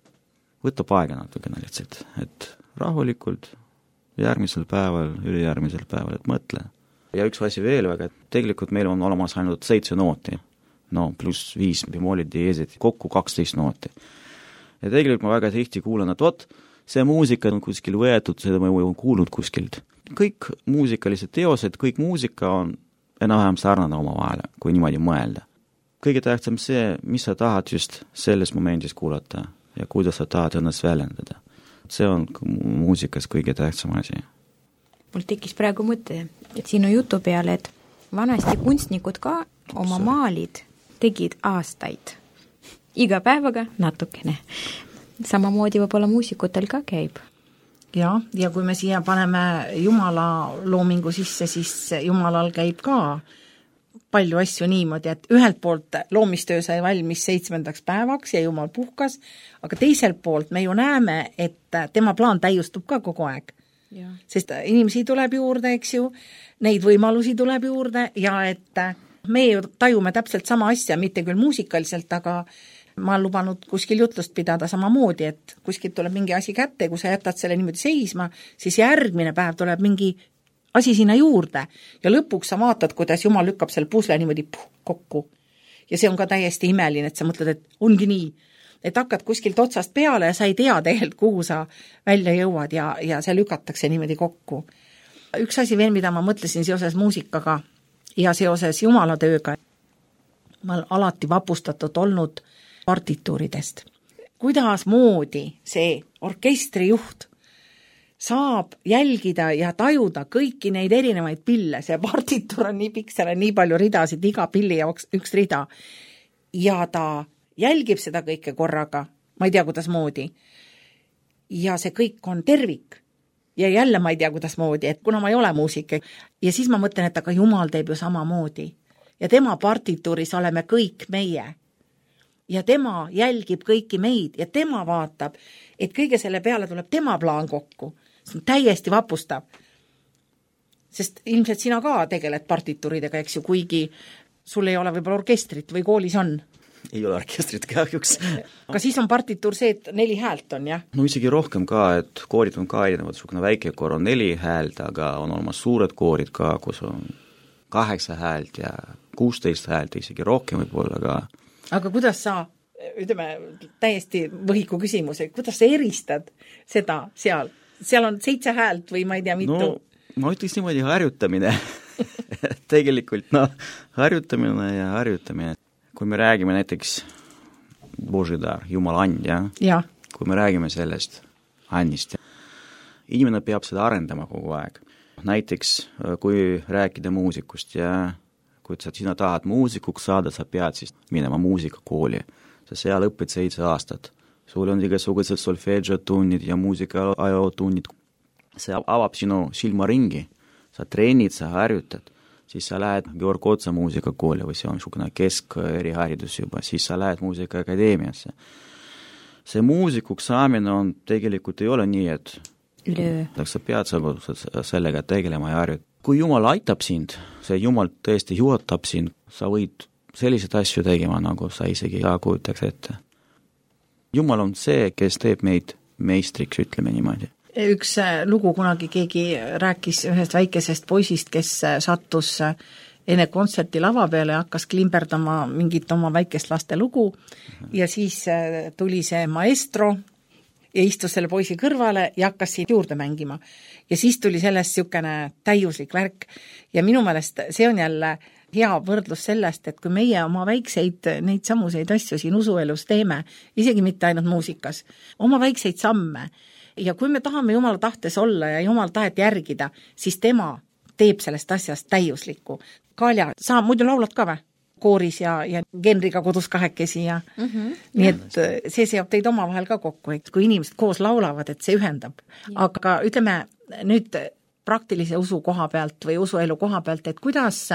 Võtab aega natukene lihtsalt, et rahulikult järgmisel päeval, ülejärgmisel päeval, et mõtle. Ja üks asi veel väga, et tegelikult meil on olemas ainult seitse nooti, no pluss viis bemoolid, diesid, kokku kaksteist nooti. Ja tegelikult ma väga tihti kuulen, et vot, see muusika on kuskil võetud, seda ma olen kuulnud kuskilt. Kõik muusikalised teosed, kõik muusika on enam-vähem sarnane oma vahele, kui niimoodi mõelda. Kõige tähtsam see, mis sa tahad just selles momendis kuulata ja kuidas sa tahad ennast väljendada. See on muusikas kõige tähtsam asi. Mul tekkis praegu mõte, et sinu jutu peale, et vanasti kunstnikud ka oma maalid tegid aastaid. Iga päevaga natukene. Samamoodi võib-olla muusikutel ka käib. ja, ja kui me siia paneme Jumala loomingu sisse, siis Jumalal käib ka palju asju niimoodi, et ühelt poolt loomistöö sai valmis seitsmendaks päevaks ja Jumal puhkas, aga teiselt poolt me ju näeme, et tema plaan täiustub ka kogu aeg. Ja. Sest inimesi tuleb juurde, eks ju, neid võimalusi tuleb juurde ja et me ju tajume täpselt sama asja, mitte küll muusikaliselt, aga ma olen lubanud kuskil jutlust pidada samamoodi, et kuskilt tuleb mingi asi kätte, kui sa jätad selle niimoodi seisma, siis järgmine päev tuleb mingi asi sinna juurde ja lõpuks sa vaatad, kuidas Jumal lükkab selle pusle niimoodi puh, kokku. Ja see on ka täiesti imeline, et sa mõtled, et ongi nii, et hakkad kuskilt otsast peale ja sa ei tea tegelikult, kuhu sa välja jõuad ja, ja see lükatakse niimoodi kokku. Üks asi veel, mida ma mõtlesin seoses muusikaga ja seoses Jumala tööga, ma olen alati vapustatud olnud partituuridest. Kuidas moodi see orkestrijuht saab jälgida ja tajuda kõiki neid erinevaid pille, see partituur on nii pikk, seal on nii palju ridasid, iga pilli jaoks üks rida ja ta jälgib seda kõike korraga, ma ei tea, kuidas moodi ja see kõik on tervik ja jälle ma ei tea, kuidas moodi, et kuna ma ei ole muusik ja siis ma mõtlen, et aga Jumal teeb ju sama moodi ja tema partituuris oleme kõik meie ja tema jälgib kõiki meid ja tema vaatab, et kõige selle peale tuleb tema plaan kokku. See on täiesti vapustav. Sest ilmselt sina ka tegeled partituuridega, eks ju, kuigi sul ei ole võib-olla orkestrit või koolis on. Ei ole orkestrit kahjuks. Aga siis on partituur see, et neli häält on, jah? No isegi rohkem ka, et koorid on ka erinevad, sugune väike koor on neli häält, aga on olemas suured koorid ka, kus on kaheksa häält ja kuusteist häält, isegi rohkem võib-olla ka. Aga kuidas sa, ütleme, täiesti võhiku küsimus, kuidas sa eristad seda seal? Seal on seitse häält või ma ei tea mitu? No ma ütleks niimoodi harjutamine. Tegelikult no, harjutamine ja harjutamine. Kui me räägime näiteks Božidar, Jumala and, ja? Ja. Kui me räägime sellest andist, inimene peab seda arendama kogu aeg. Näiteks kui rääkida muusikust ja kui sa sina tahad muusikuks saada, sa pead siis minema muusikakooli. Sa seal õpid seitse aastat. Sul on igasugused solfeggio-tunnid ja muusika-ajo-tunnid. See avab sinu silmaringi. Sa treenid, sa harjutad. Siis sa lähed Georg Otsa muusikakooli või see on niisugune kesk-eriharidus juba. Siis sa lähed muusikaakadeemiasse. See muusikuks saamine on tegelikult ei ole nii, et üle. Sa pead sellega tegelema ja harjutada. Kui Jumal aitab sind, see Jumal tõesti juhatab sind, sa võid sellised asju tegema, nagu sa isegi ei kujutaks ette. Jumal on see, kes teeb meid meistriks, ütleme niimoodi. Üks lugu kunagi keegi rääkis ühest väikesest poisist, kes sattus enne kontserti lava peale ja hakkas klimberdama mingit oma väikest laste lugu ja siis tuli see maestro ja istus selle poisi kõrvale ja hakkas siin juurde mängima. Ja siis tuli sellest niisugune täiuslik värk ja minu meelest see on jälle hea võrdlus sellest, et kui meie oma väikseid neid samuseid asju siin usuelus teeme, isegi mitte ainult muusikas, oma väikseid samme ja kui me tahame Jumala tahtes olla ja Jumala tahet järgida, siis tema teeb sellest asjast täiuslikku. Kalja, sa muidu laulad ka või? Kooris ja, ja genriga kodus kahekesi ja mm-hmm. nii et see seob teid omavahel ka kokku, et kui inimesed koos laulavad, et see ühendab. Ja. Aga ütleme nüüd praktilise usu koha pealt või usuelu koha pealt, et kuidas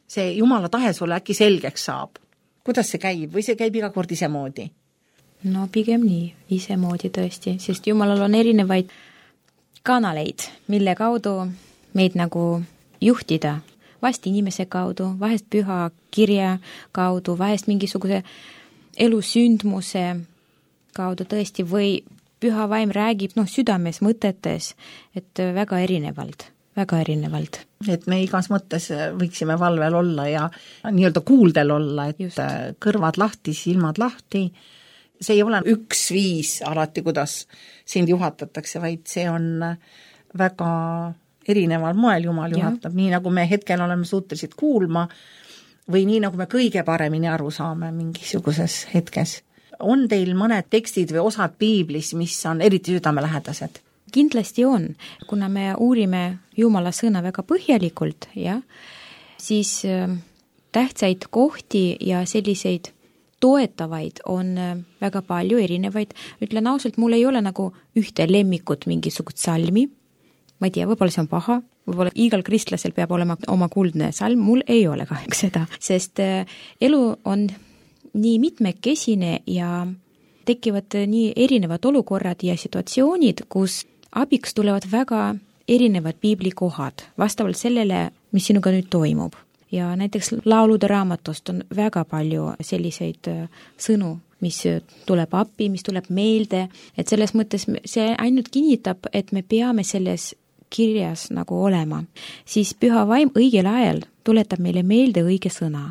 see Jumala tahe sulle äkki selgeks saab? Kuidas see käib või see käib iga kord isemoodi? No pigem nii, isemoodi tõesti, sest Jumalal on erinevaid kanaleid, mille kaudu meid nagu juhtida. Vast inimese kaudu, vahest püha kirja kaudu, vahest mingisuguse elusündmuse kaudu tõesti või püha vaim räägib no, südames, mõtetes, et väga erinevalt. väga erinevalt. Et me igas mõttes võiksime valvel olla ja nii-öelda kuuldel olla, et just. Kõrvad lahti, silmad lahti. See ei ole üks viis alati, kuidas sind juhatatakse, vaid see on väga erineval moel Jumal juhatab, ja. Nii nagu me hetkel oleme suutelised kuulma või nii nagu me kõige paremini aru saame mingisuguses hetkes. On teil mõned tekstid või osad piiblis, mis on eriti südamelähedased? Kindlasti on, kuna me uurime Jumala sõna väga põhjalikult, ja, siis tähtsaid kohti ja selliseid toetavaid on väga palju erinevaid, ütlen ausalt, mul ei ole nagu ühte lemmikut mingisugust salmi, ma ei tea, võib-olla see on paha, võib-olla igal kristlasel peab olema oma kuldne salm, mul ei ole kahjuks seda, sest elu on nii mitmekesine ja tekivad nii erinevad olukorrad ja situatsioonid, kus abiks tulevad väga erinevad piiblikohad vastavalt sellele, mis sinuga nüüd toimub. Ja näiteks laulude raamatust on väga palju selliseid sõnu, mis tuleb appi, mis tuleb meelde, et selles mõttes see ainult kinnitab, et me peame selles kirjas nagu olema. Siis püha vaim õigel ajal tuletab meile meelde õige sõna.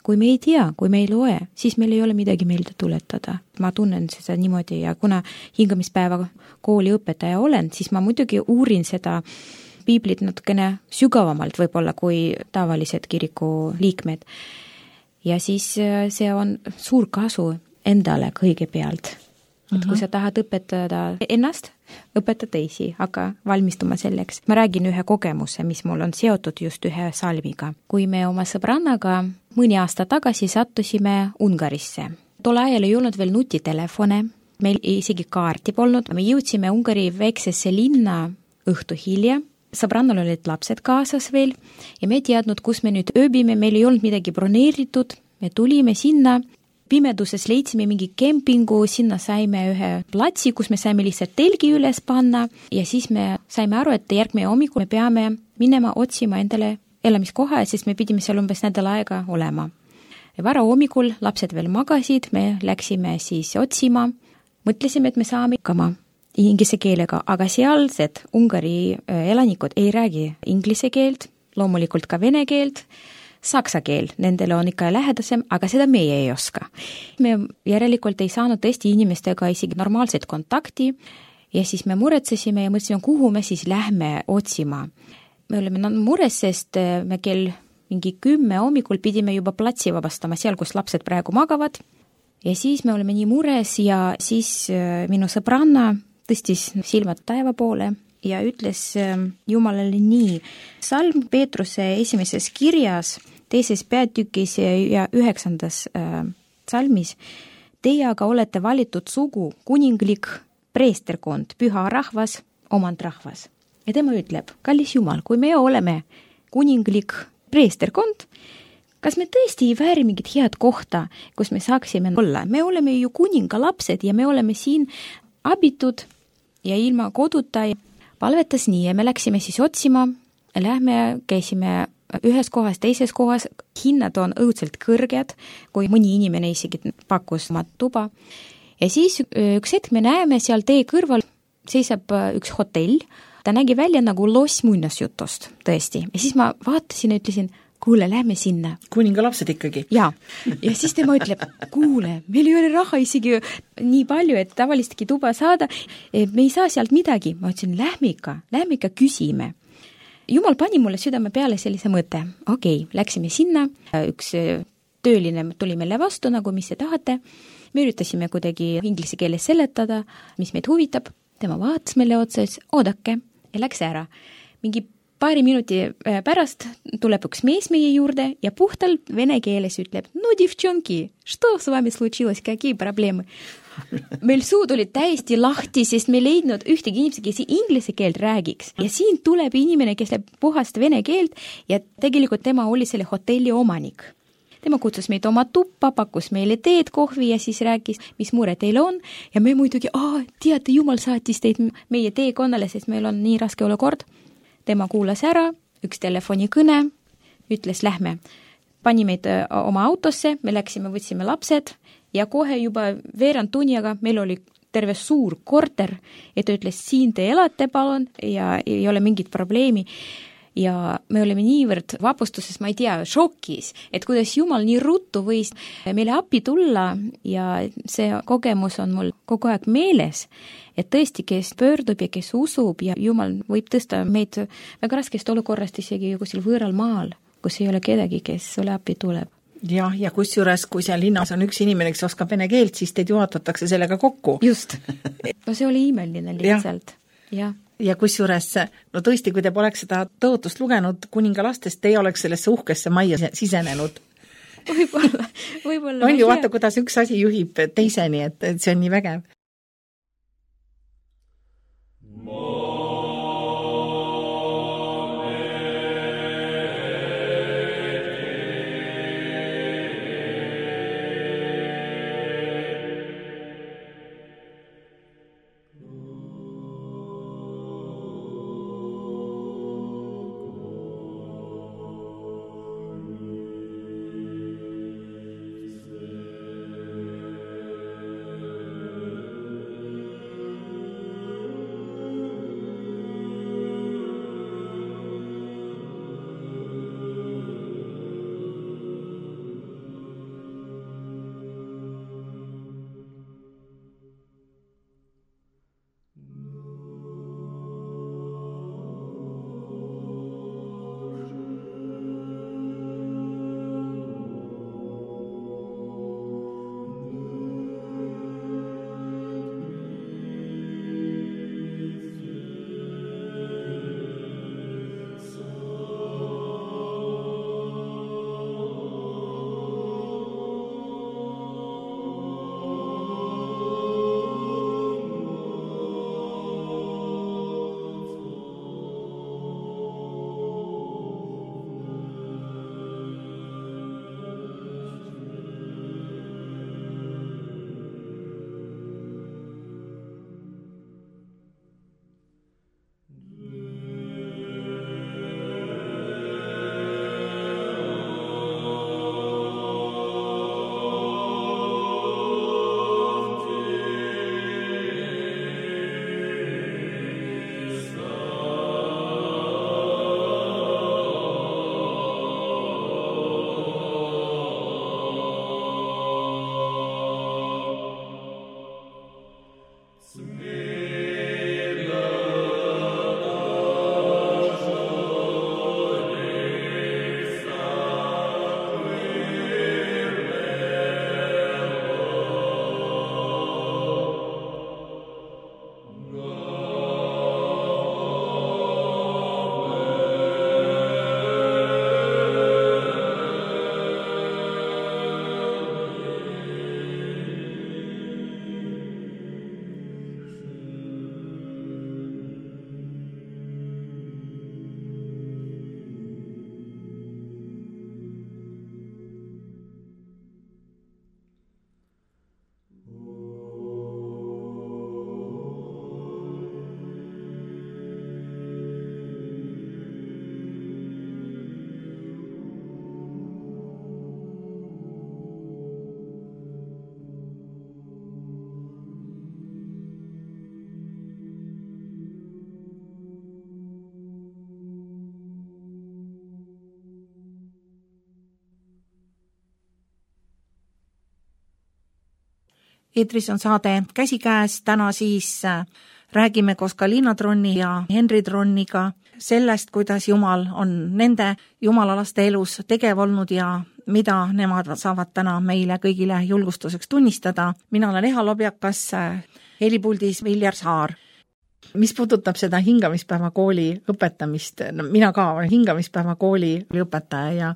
Kui me ei tea, kui me ei loe, siis meil ei ole midagi meelde tuletada. Ma tunnen seda niimoodi ja kuna hingamispäeva kooli õpetaja olen, siis ma muidugi uurin seda piiblit natukene sügavamalt võib-olla kui tavalised kiriku liikmed. Ja siis see on suur kasu endale kõigepealt. Et kui sa tahad õpetada ennast, õpeta teisi, aga valmistuma selleks. Ma räägin ühe kogemuse, mis mul on seotud just ühe salmiga. Kui me oma sõbrannaga mõni aasta tagasi sattusime Ungarisse. Tol ajal ei olnud veel nutitelefone, meil isegi kaarti polnud. Me jõudsime Ungari väiksesse linna õhtu hilja. Sõbrannal olid lapsed kaasas veel ja me ei teadnud, kus me nüüd ööbime, meil ei olnud midagi broneeritud. Me tulime sinna. Pimeduses leidsime mingi kempingu, sinna saime ühe platsi, kus me saime lihtsalt telgi üles panna ja siis me saime aru, et järgmine hommikul me peame minema otsima endale elamiskoha, sest me pidime seal umbes nädal aega olema. Ja vara hommikul lapsed veel magasid, me läksime siis otsima, mõtlesime, et me saame ikkama inglise keelega, aga sealsed Ungari elanikud ei räägi inglise keelt, loomulikult ka vene keelt, saksa keel, nendele on ikka lähedasem, aga seda meie ei oska. Me järelikult ei saanud tõesti inimestega isegi normaalset kontakti ja siis me muretsesime ja mõtlesime, kuhu me siis lähme otsima. Me olime mures, sest me kell mingi kümme hommikul pidime juba platsi vabastama seal, kus lapsed praegu magavad. Ja siis me olime nii mures ja siis minu sõbranna tõstis silmad taeva poole ja ütles Jumalale nii. Salm Peetruse esimeses kirjas teises peatükis ja üheksandas äh, salmis, teie aga olete valitud sugu, kuninglik preesterkond, püha rahvas, omand rahvas. Ja tema ütleb, kallis Jumal, kui me oleme kuninglik preesterkond, kas me tõesti ei vääri mingit head kohta, kus me saaksime olla? Me oleme ju kuninga lapsed ja me oleme siin abitud ja ilma koduta. Palvetas nii ja me läksime siis otsima, lähme, käisime ühes kohas, teises kohas, hinnad on õudselt kõrged, kui mõni inimene isegi pakkus oma tuba. Ja siis üks hetk me näeme seal tee kõrval seisab üks hotell, ta nägi välja nagu loss muinasjutost, tõesti. Ja siis ma vaatasin ja ütlesin, kuule, lähme sinna. Kuninga lapsed ikkagi. Ja, ja siis tema ütleb, kuule, meil ei ole raha isegi nii palju, et tavalistki tuba saada, me ei saa sealt midagi. Ma ütlesin, lähme ikka, lähme ikka küsime. Jumal pani mulle südame peale sellise mõte. Okei, okay, läksime sinna, üks tööline tuli meile vastu, nagu mis te tahate. Me üritasime kuidagi inglise keeles seletada, mis meid huvitab. Tema vaatas meile otsa, oodake ja läks ära. Mingi paari minuti pärast tuleb üks mees meie juurde ja puhtalt vene keeles ütleb, no девчонки, что с вами случилось, какие проблемы? Meil suud olid täiesti lahti, sest me leidnud ühtegi inimesi, kes inglise keelt räägiks. Ja siin tuleb inimene, kes läheb puhast vene keelt ja tegelikult tema oli selle hotelli omanik. Tema kutsus meid oma tuppa, pakkus meile teed, kohvi ja siis rääkis, mis mure teil on. Ja me muidugi, aa, teate, Jumal saatis teid meie teekonnale, sest meil on nii raske olukord. Tema kuulas ära, üks telefonikõne, ütles, lähme. Pani meid oma autosse, me läksime, võtsime lapsed ja kohe juba veerand tunniga meil oli terve suur korter, et ta ütles, siin te elate palun ja ei ole mingit probleemi. Ja me olime niivõrd vapustuses, ma ei tea, šokis, et kuidas Jumal nii ruttu võis meile appi tulla ja see kogemus on mul kogu aeg meeles, et tõesti, kes pöördub ja kes usub ja Jumal võib tõsta meid väga raskest olukorrast isegi kuskil võõral maal, kus ei ole kedagi, kes sulle appi tuleb. Jah, ja kusjuures, kui seal linnas on üks inimene, kes oskab vene keelt, siis teid juhatatakse sellega kokku. Just. No see oli imeline lihtsalt. Ja. Ja kusjuures, no tõesti, kui te poleks seda tõotust lugenud kuningalastest, te ei oleks sellesse uhkesse majja sisenenud. võib-olla, võib-olla on ju, vaata, kuidas üks asi juhib teiseni, et, et see on nii vägev. Eetris on saade Käsikäes, täna siis räägime koos ka Liina Tronni ja Henri Tronniga sellest, kuidas Jumal on nende jumalalaste elus tegev olnud ja mida nemad saavad täna meile kõigile julgustuseks tunnistada. Mina olen Eha Lobjakas, helipuldis Viljar Saar. Mis puudutab seda hingamispäeva kooli õpetamist, no mina ka olen hingamispäeva kooli õpetaja ja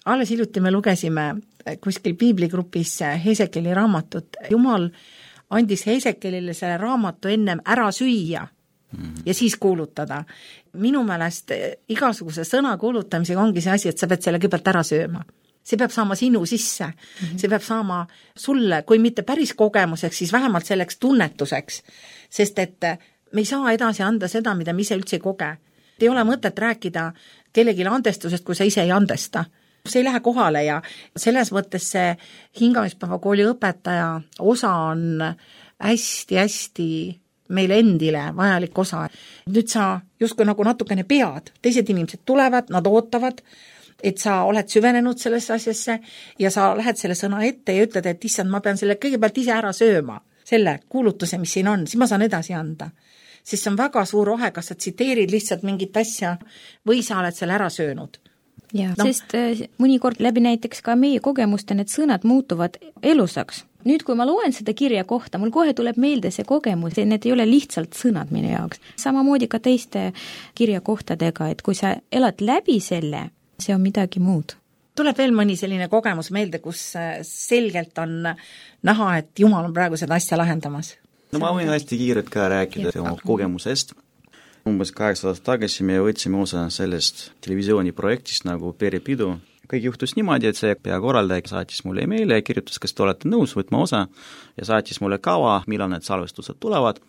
alles hiljuti me lugesime kuskil piibligrupis Hesekeli raamatut. Jumal andis Hesekelile selle raamatu ennem ära süüa ja siis kuulutada. Minu meelest igasuguse sõna kuulutamisega ongi see asi, et sa pead selle kõigepealt ära sööma. See peab saama sinu sisse, mm-hmm. see peab saama sulle, kui mitte päris kogemuseks, siis vähemalt selleks tunnetuseks, sest et me ei saa edasi anda seda, mida me ise üldse ei koge. Ei ole mõtet rääkida kellegile andestusest, kui sa ise ei andesta. See ei lähe kohale ja selles mõttes see hingamispäeva kooli õpetaja osa on hästi-hästi meile endile vajalik osa. Nüüd sa justkui nagu natukene pead, teised inimesed tulevad, nad ootavad, et sa oled süvenenud sellesse asjasse ja sa lähed selle sõna ette ja ütled, et issand, ma pean selle kõigepealt ise ära sööma, selle kuulutuse, mis siin on, siis ma saan edasi anda. Siis see on väga suur ohe, kas sa tsiteerid lihtsalt mingit asja või sa oled selle ära söönud. Ja, no. Sest mõnikord läbi näiteks ka meie kogemuste need sõnad muutuvad elusaks. Nüüd, kui ma loen seda kirja kohta, mul kohe tuleb meelde see kogemus, need ei ole lihtsalt sõnad minu jaoks. Samamoodi ka teiste kirjakohtadega, et kui sa elad läbi selle, see on midagi muud. tuleb veel mõni selline kogemus meelde, kus selgelt on näha, et Jumal on praegu seda asja lahendamas? No ma võin hästi kiirelt ka rääkida oma kogemusest. Umbes kaheksa aastat tagasi me võtsime osa sellest televisiooniprojektist nagu Perepidu. Kõik juhtus niimoodi, et see peakorraldaja saatis mulle emaili ja kirjutas, kas te olete nõus võtma osa ja saatis mulle kava, millal need salvestused tulevad.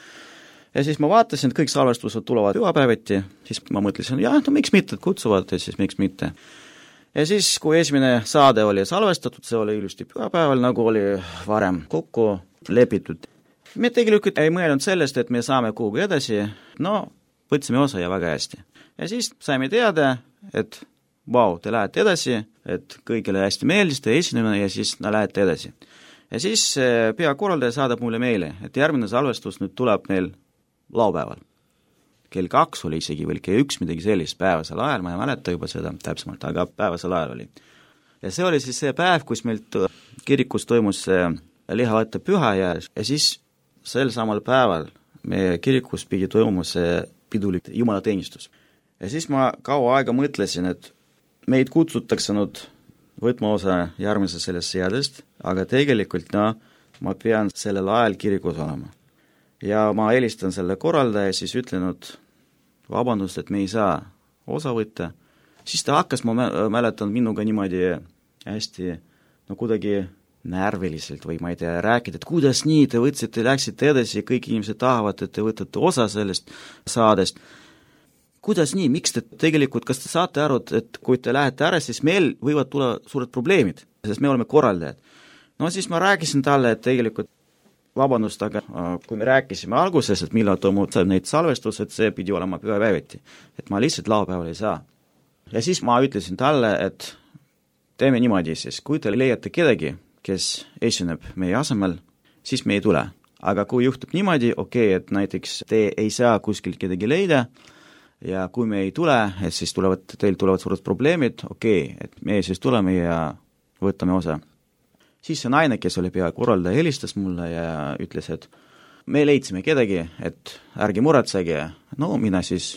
Ja siis ma vaatasin, et kõik salvestused tulevad pühapäeviti, siis ma mõtlesin, jah, no miks mitte, kutsuvad, ja siis miks mitte. Ja siis, kui esimene saade oli salvestatud, see oli ilusti pühapäeval, nagu oli varem kokku lepitud. Me tegelikult ei mõelnud sellest, et me saame kuhugi edasi, no võtsime osa ja väga hästi. Ja siis saime teada, et vau, te lähete edasi, et kõigile hästi meeldis, te esineme ja siis na, lähete edasi. Ja siis peakorraldaja saadab mulle meile, et järgmine salvestus nüüd tuleb meil laupäeval. Kell kaks oli isegi veel, kell üks midagi sellist päevasel ajal, ma ei mäleta juba seda täpsemalt, aga päevasel ajal oli. Ja see oli siis see päev, kus meil kirikus toimus lihavõtte püha ja, ja siis sel samal päeval meie kirikus pidi toimumas pidulik jumalateenistus. Ja siis ma kaua aega mõtlesin, et meid kutsutakse nüüd võtma osa järgmise sellest seadest, aga tegelikult no, ma pean sellel ajal kirikus olema. Ja ma helistan selle korraldaja ja siis ütlenud vabandust, et me ei saa osa võtta. Siis ta hakkas, ma mäletan minuga niimoodi hästi no kuidagi närviliselt või ma ei tea, rääkida, et kuidas nii, te võtsite, läksite edasi, kõik inimesed tahavad, et te võtate osa sellest saadest. Kuidas nii, miks te tegelikult, kas te saate aru, et kui te lähete ära, siis meil võivad tulla suured probleemid, sest me oleme korraldajad. No siis ma rääkisin talle, et tegelikult vabandust, aga kui me rääkisime alguses, et millal toimub neid salvestused, see pidi olema pühapäeviti, et ma lihtsalt laupäeval ei saa. Ja siis ma ütlesin talle, et teeme niimoodi siis, kui te leiate kedagi, kes esineb meie asemel, siis me ei tule. Aga kui juhtub niimoodi, okei, okay, et näiteks te ei saa kuskil kedagi leida, ja kui me ei tule, et siis tulevad, teil tulevad suured probleemid, okei, okay, et me siis tuleme ja võtame osa. Siis see naine, kes oli peakorraldaja, helistas mulle ja ütles, et me leidsime kedagi, et ärge muretsege. No mina siis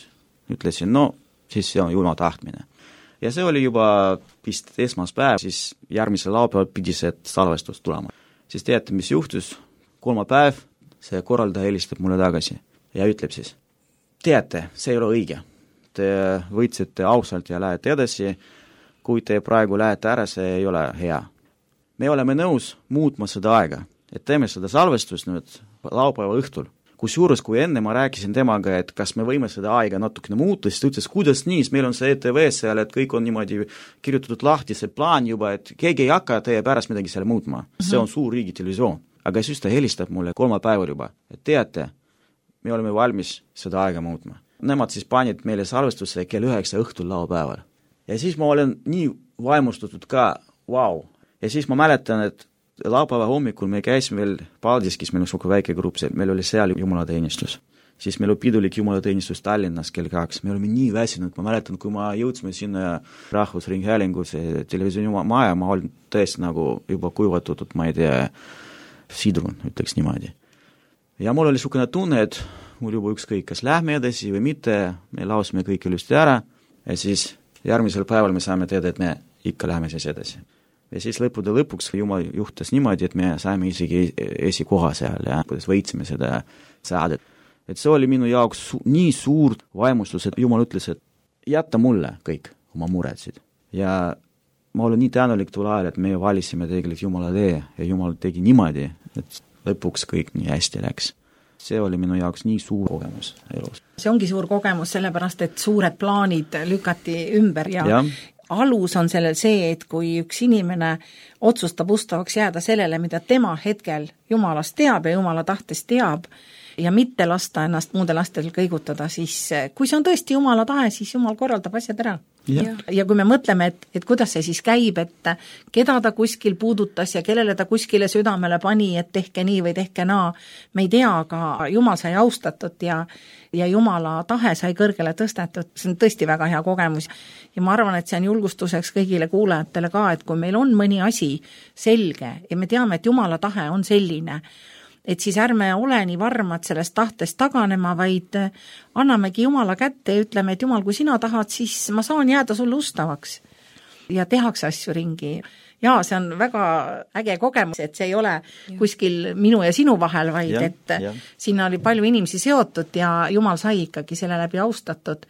ütlesin, no siis see on Jumala tahtmine. Ja see oli juba vist esmaspäev, siis järgmisel laupäeval pidi see salvestus tulema. Siis teate, mis juhtus? Kolmapäev see korraldaja helistab mulle tagasi ja ütleb siis, teate, see ei ole õige. Te võitsite ausalt ja lähete edasi. Kui te praegu lähete ära, see ei ole hea. Me oleme nõus muutma seda aega, et teeme seda salvestust nüüd laupäeva õhtul. Kusjuures, kui enne ma rääkisin temaga, et kas me võime seda aega natukene muuta, siis ta ütles, kuidas nii, meil on see E T V seal, et kõik on niimoodi kirjutatud lahti, see plaan juba, et keegi ei hakka teie pärast midagi selle muutma. See on suur riigi televisioon. Aga siis ta helistab mulle kolmapäeval juba, et teate, me oleme valmis seda aega muutma. Nemad siis panid meile salvestusse kell üheksa õhtul laupäeval. Ja siis ma olen nii vaimustatud ka, vau. Ja siis ma mäletan, et laupäeva hommikul me käisime veel Paldiskis, meil on suke väike grupp, meil oli seal jumalateenistus. Siis meil oli pidulik jumalateenistus Tallinnas kell kaks. Me olime nii väsinud, ma mäletan, kui ma jõudsime sinna Rahvusringhäälingus televisiooni maja, ma olin tõesti nagu juba kuivatatud, ma ei tea, sidrun, ütleks niimoodi. Ja mul oli sukene tunne, et mul juba ükskõik, kas lähme edasi või mitte, me lausime kõik ilusti ära ja siis järgmisel päeval me saame teada, et me ikka läheme siis edasi. Ja siis lõppude lõpuks Jumal juhtas niimoodi, et me saime isegi esikoha seal ja kuidas võitsime seda saadet. Et see oli minu jaoks su- nii suur vaimustus, et Jumal ütles, et jätta mulle kõik oma muretsid. Ja ma olen nii tänulik tol ajal, et me valisime tegelikult Jumala tee ja Jumal tegi niimoodi, et lõpuks kõik nii hästi läks. See oli minu jaoks nii suur kogemus elus. See ongi suur kogemus, sellepärast, et suured plaanid lükati ümber ja, ja. Alus on sellel see, et kui üks inimene otsustab ustavaks jääda sellele, mida tema hetkel Jumalast teab ja Jumala tahtes teab ja mitte lasta ennast muude lastel kõigutada, siis kui see on tõesti Jumala tahe, siis Jumal korraldab asjad ära. Ja. ja kui me mõtleme, et, et kuidas see siis käib, et keda ta kuskil puudutas ja kellele ta kuskile südamele pani, et tehke nii või tehke naa, me ei tea, aga Jumal sai austatud ja, ja Jumala tahe sai kõrgele tõstetud, see on tõesti väga hea kogemus. Ja ma arvan, et see on julgustuseks kõigile kuulajatele ka, et kui meil on mõni asi selge ja me teame, et Jumala tahe on selline, et siis ärme ole nii varmad sellest tahtest taganema, vaid annamegi Jumala kätte ja ütleme, et Jumal, kui sina tahad, siis ma saan jääda sulle ustavaks. ja tehakse asju ringi. Ja see on väga äge kogemus, et see ei ole ja. kuskil minu ja sinu vahel, vaid ja, et ja. Sinna oli palju inimesi seotud ja Jumal sai ikkagi selle läbi austatud,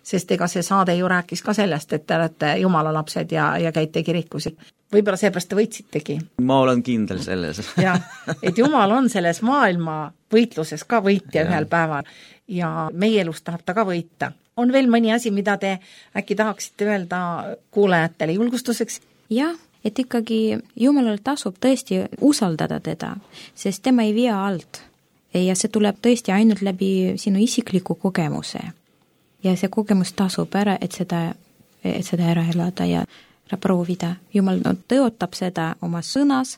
sest ega see saade ju rääkis ka sellest, et te olete Jumala lapsed ja, ja käite kirikus. Võib-olla seepärast te võitsitegi. Ma olen kindel selles. ja, et Jumal on selles maailma võitluses ka võitja ja. Ühel päeval ja meie elus tahab ta ka võita. On veel mõni asi, mida te äkki tahaksite öelda kuulajatele julgustuseks? Jah, et ikkagi Jumalal tasub tõesti usaldada teda, sest tema ei vea alt. Ja see tuleb tõesti ainult läbi sinu isikliku kogemuse. Ja see kogemus tasub ära, et seda, et seda ära elada ja ära proovida. Jumal no, tõotab seda oma sõnas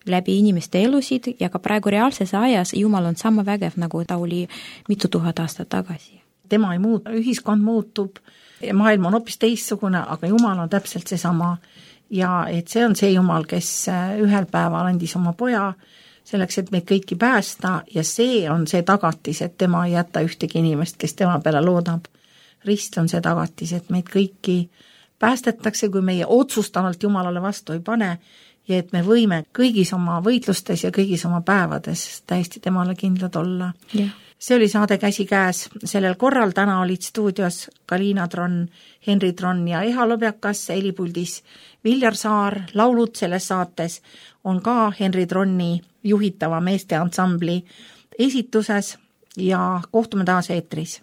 läbi inimeste elusid ja ka praegu reaalses ajas Jumal on sama vägev, nagu ta oli mitu tuhat aastat tagasi. Tema ei muutu, ühiskond muutub, maailm on hoopis teistsugune, aga Jumal on täpselt seesama. Ja et see on see Jumal, kes ühel päeval andis oma poja selleks, et meid kõiki päästa ja see on see tagatis, et tema ei jäta ühtegi inimest, kes tema peale loodab. Rist on see tagatis, et meid kõiki päästetakse, kui meie otsustavalt Jumalale vastu ei pane ja et me võime kõigis oma võitlustes ja kõigis oma päevades täiesti temale kindlad olla. Yeah. See oli saade Käsikäes. Sellel korral täna olid stuudios Kalina Tron, Henri Tron ja Eha Lobjakas, helipuldis Viljar Saar. Laulud selles saates on ka Henri Tronni juhitava meeste ansambli esituses ja kohtume taas eetris.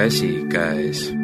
Käsikäes.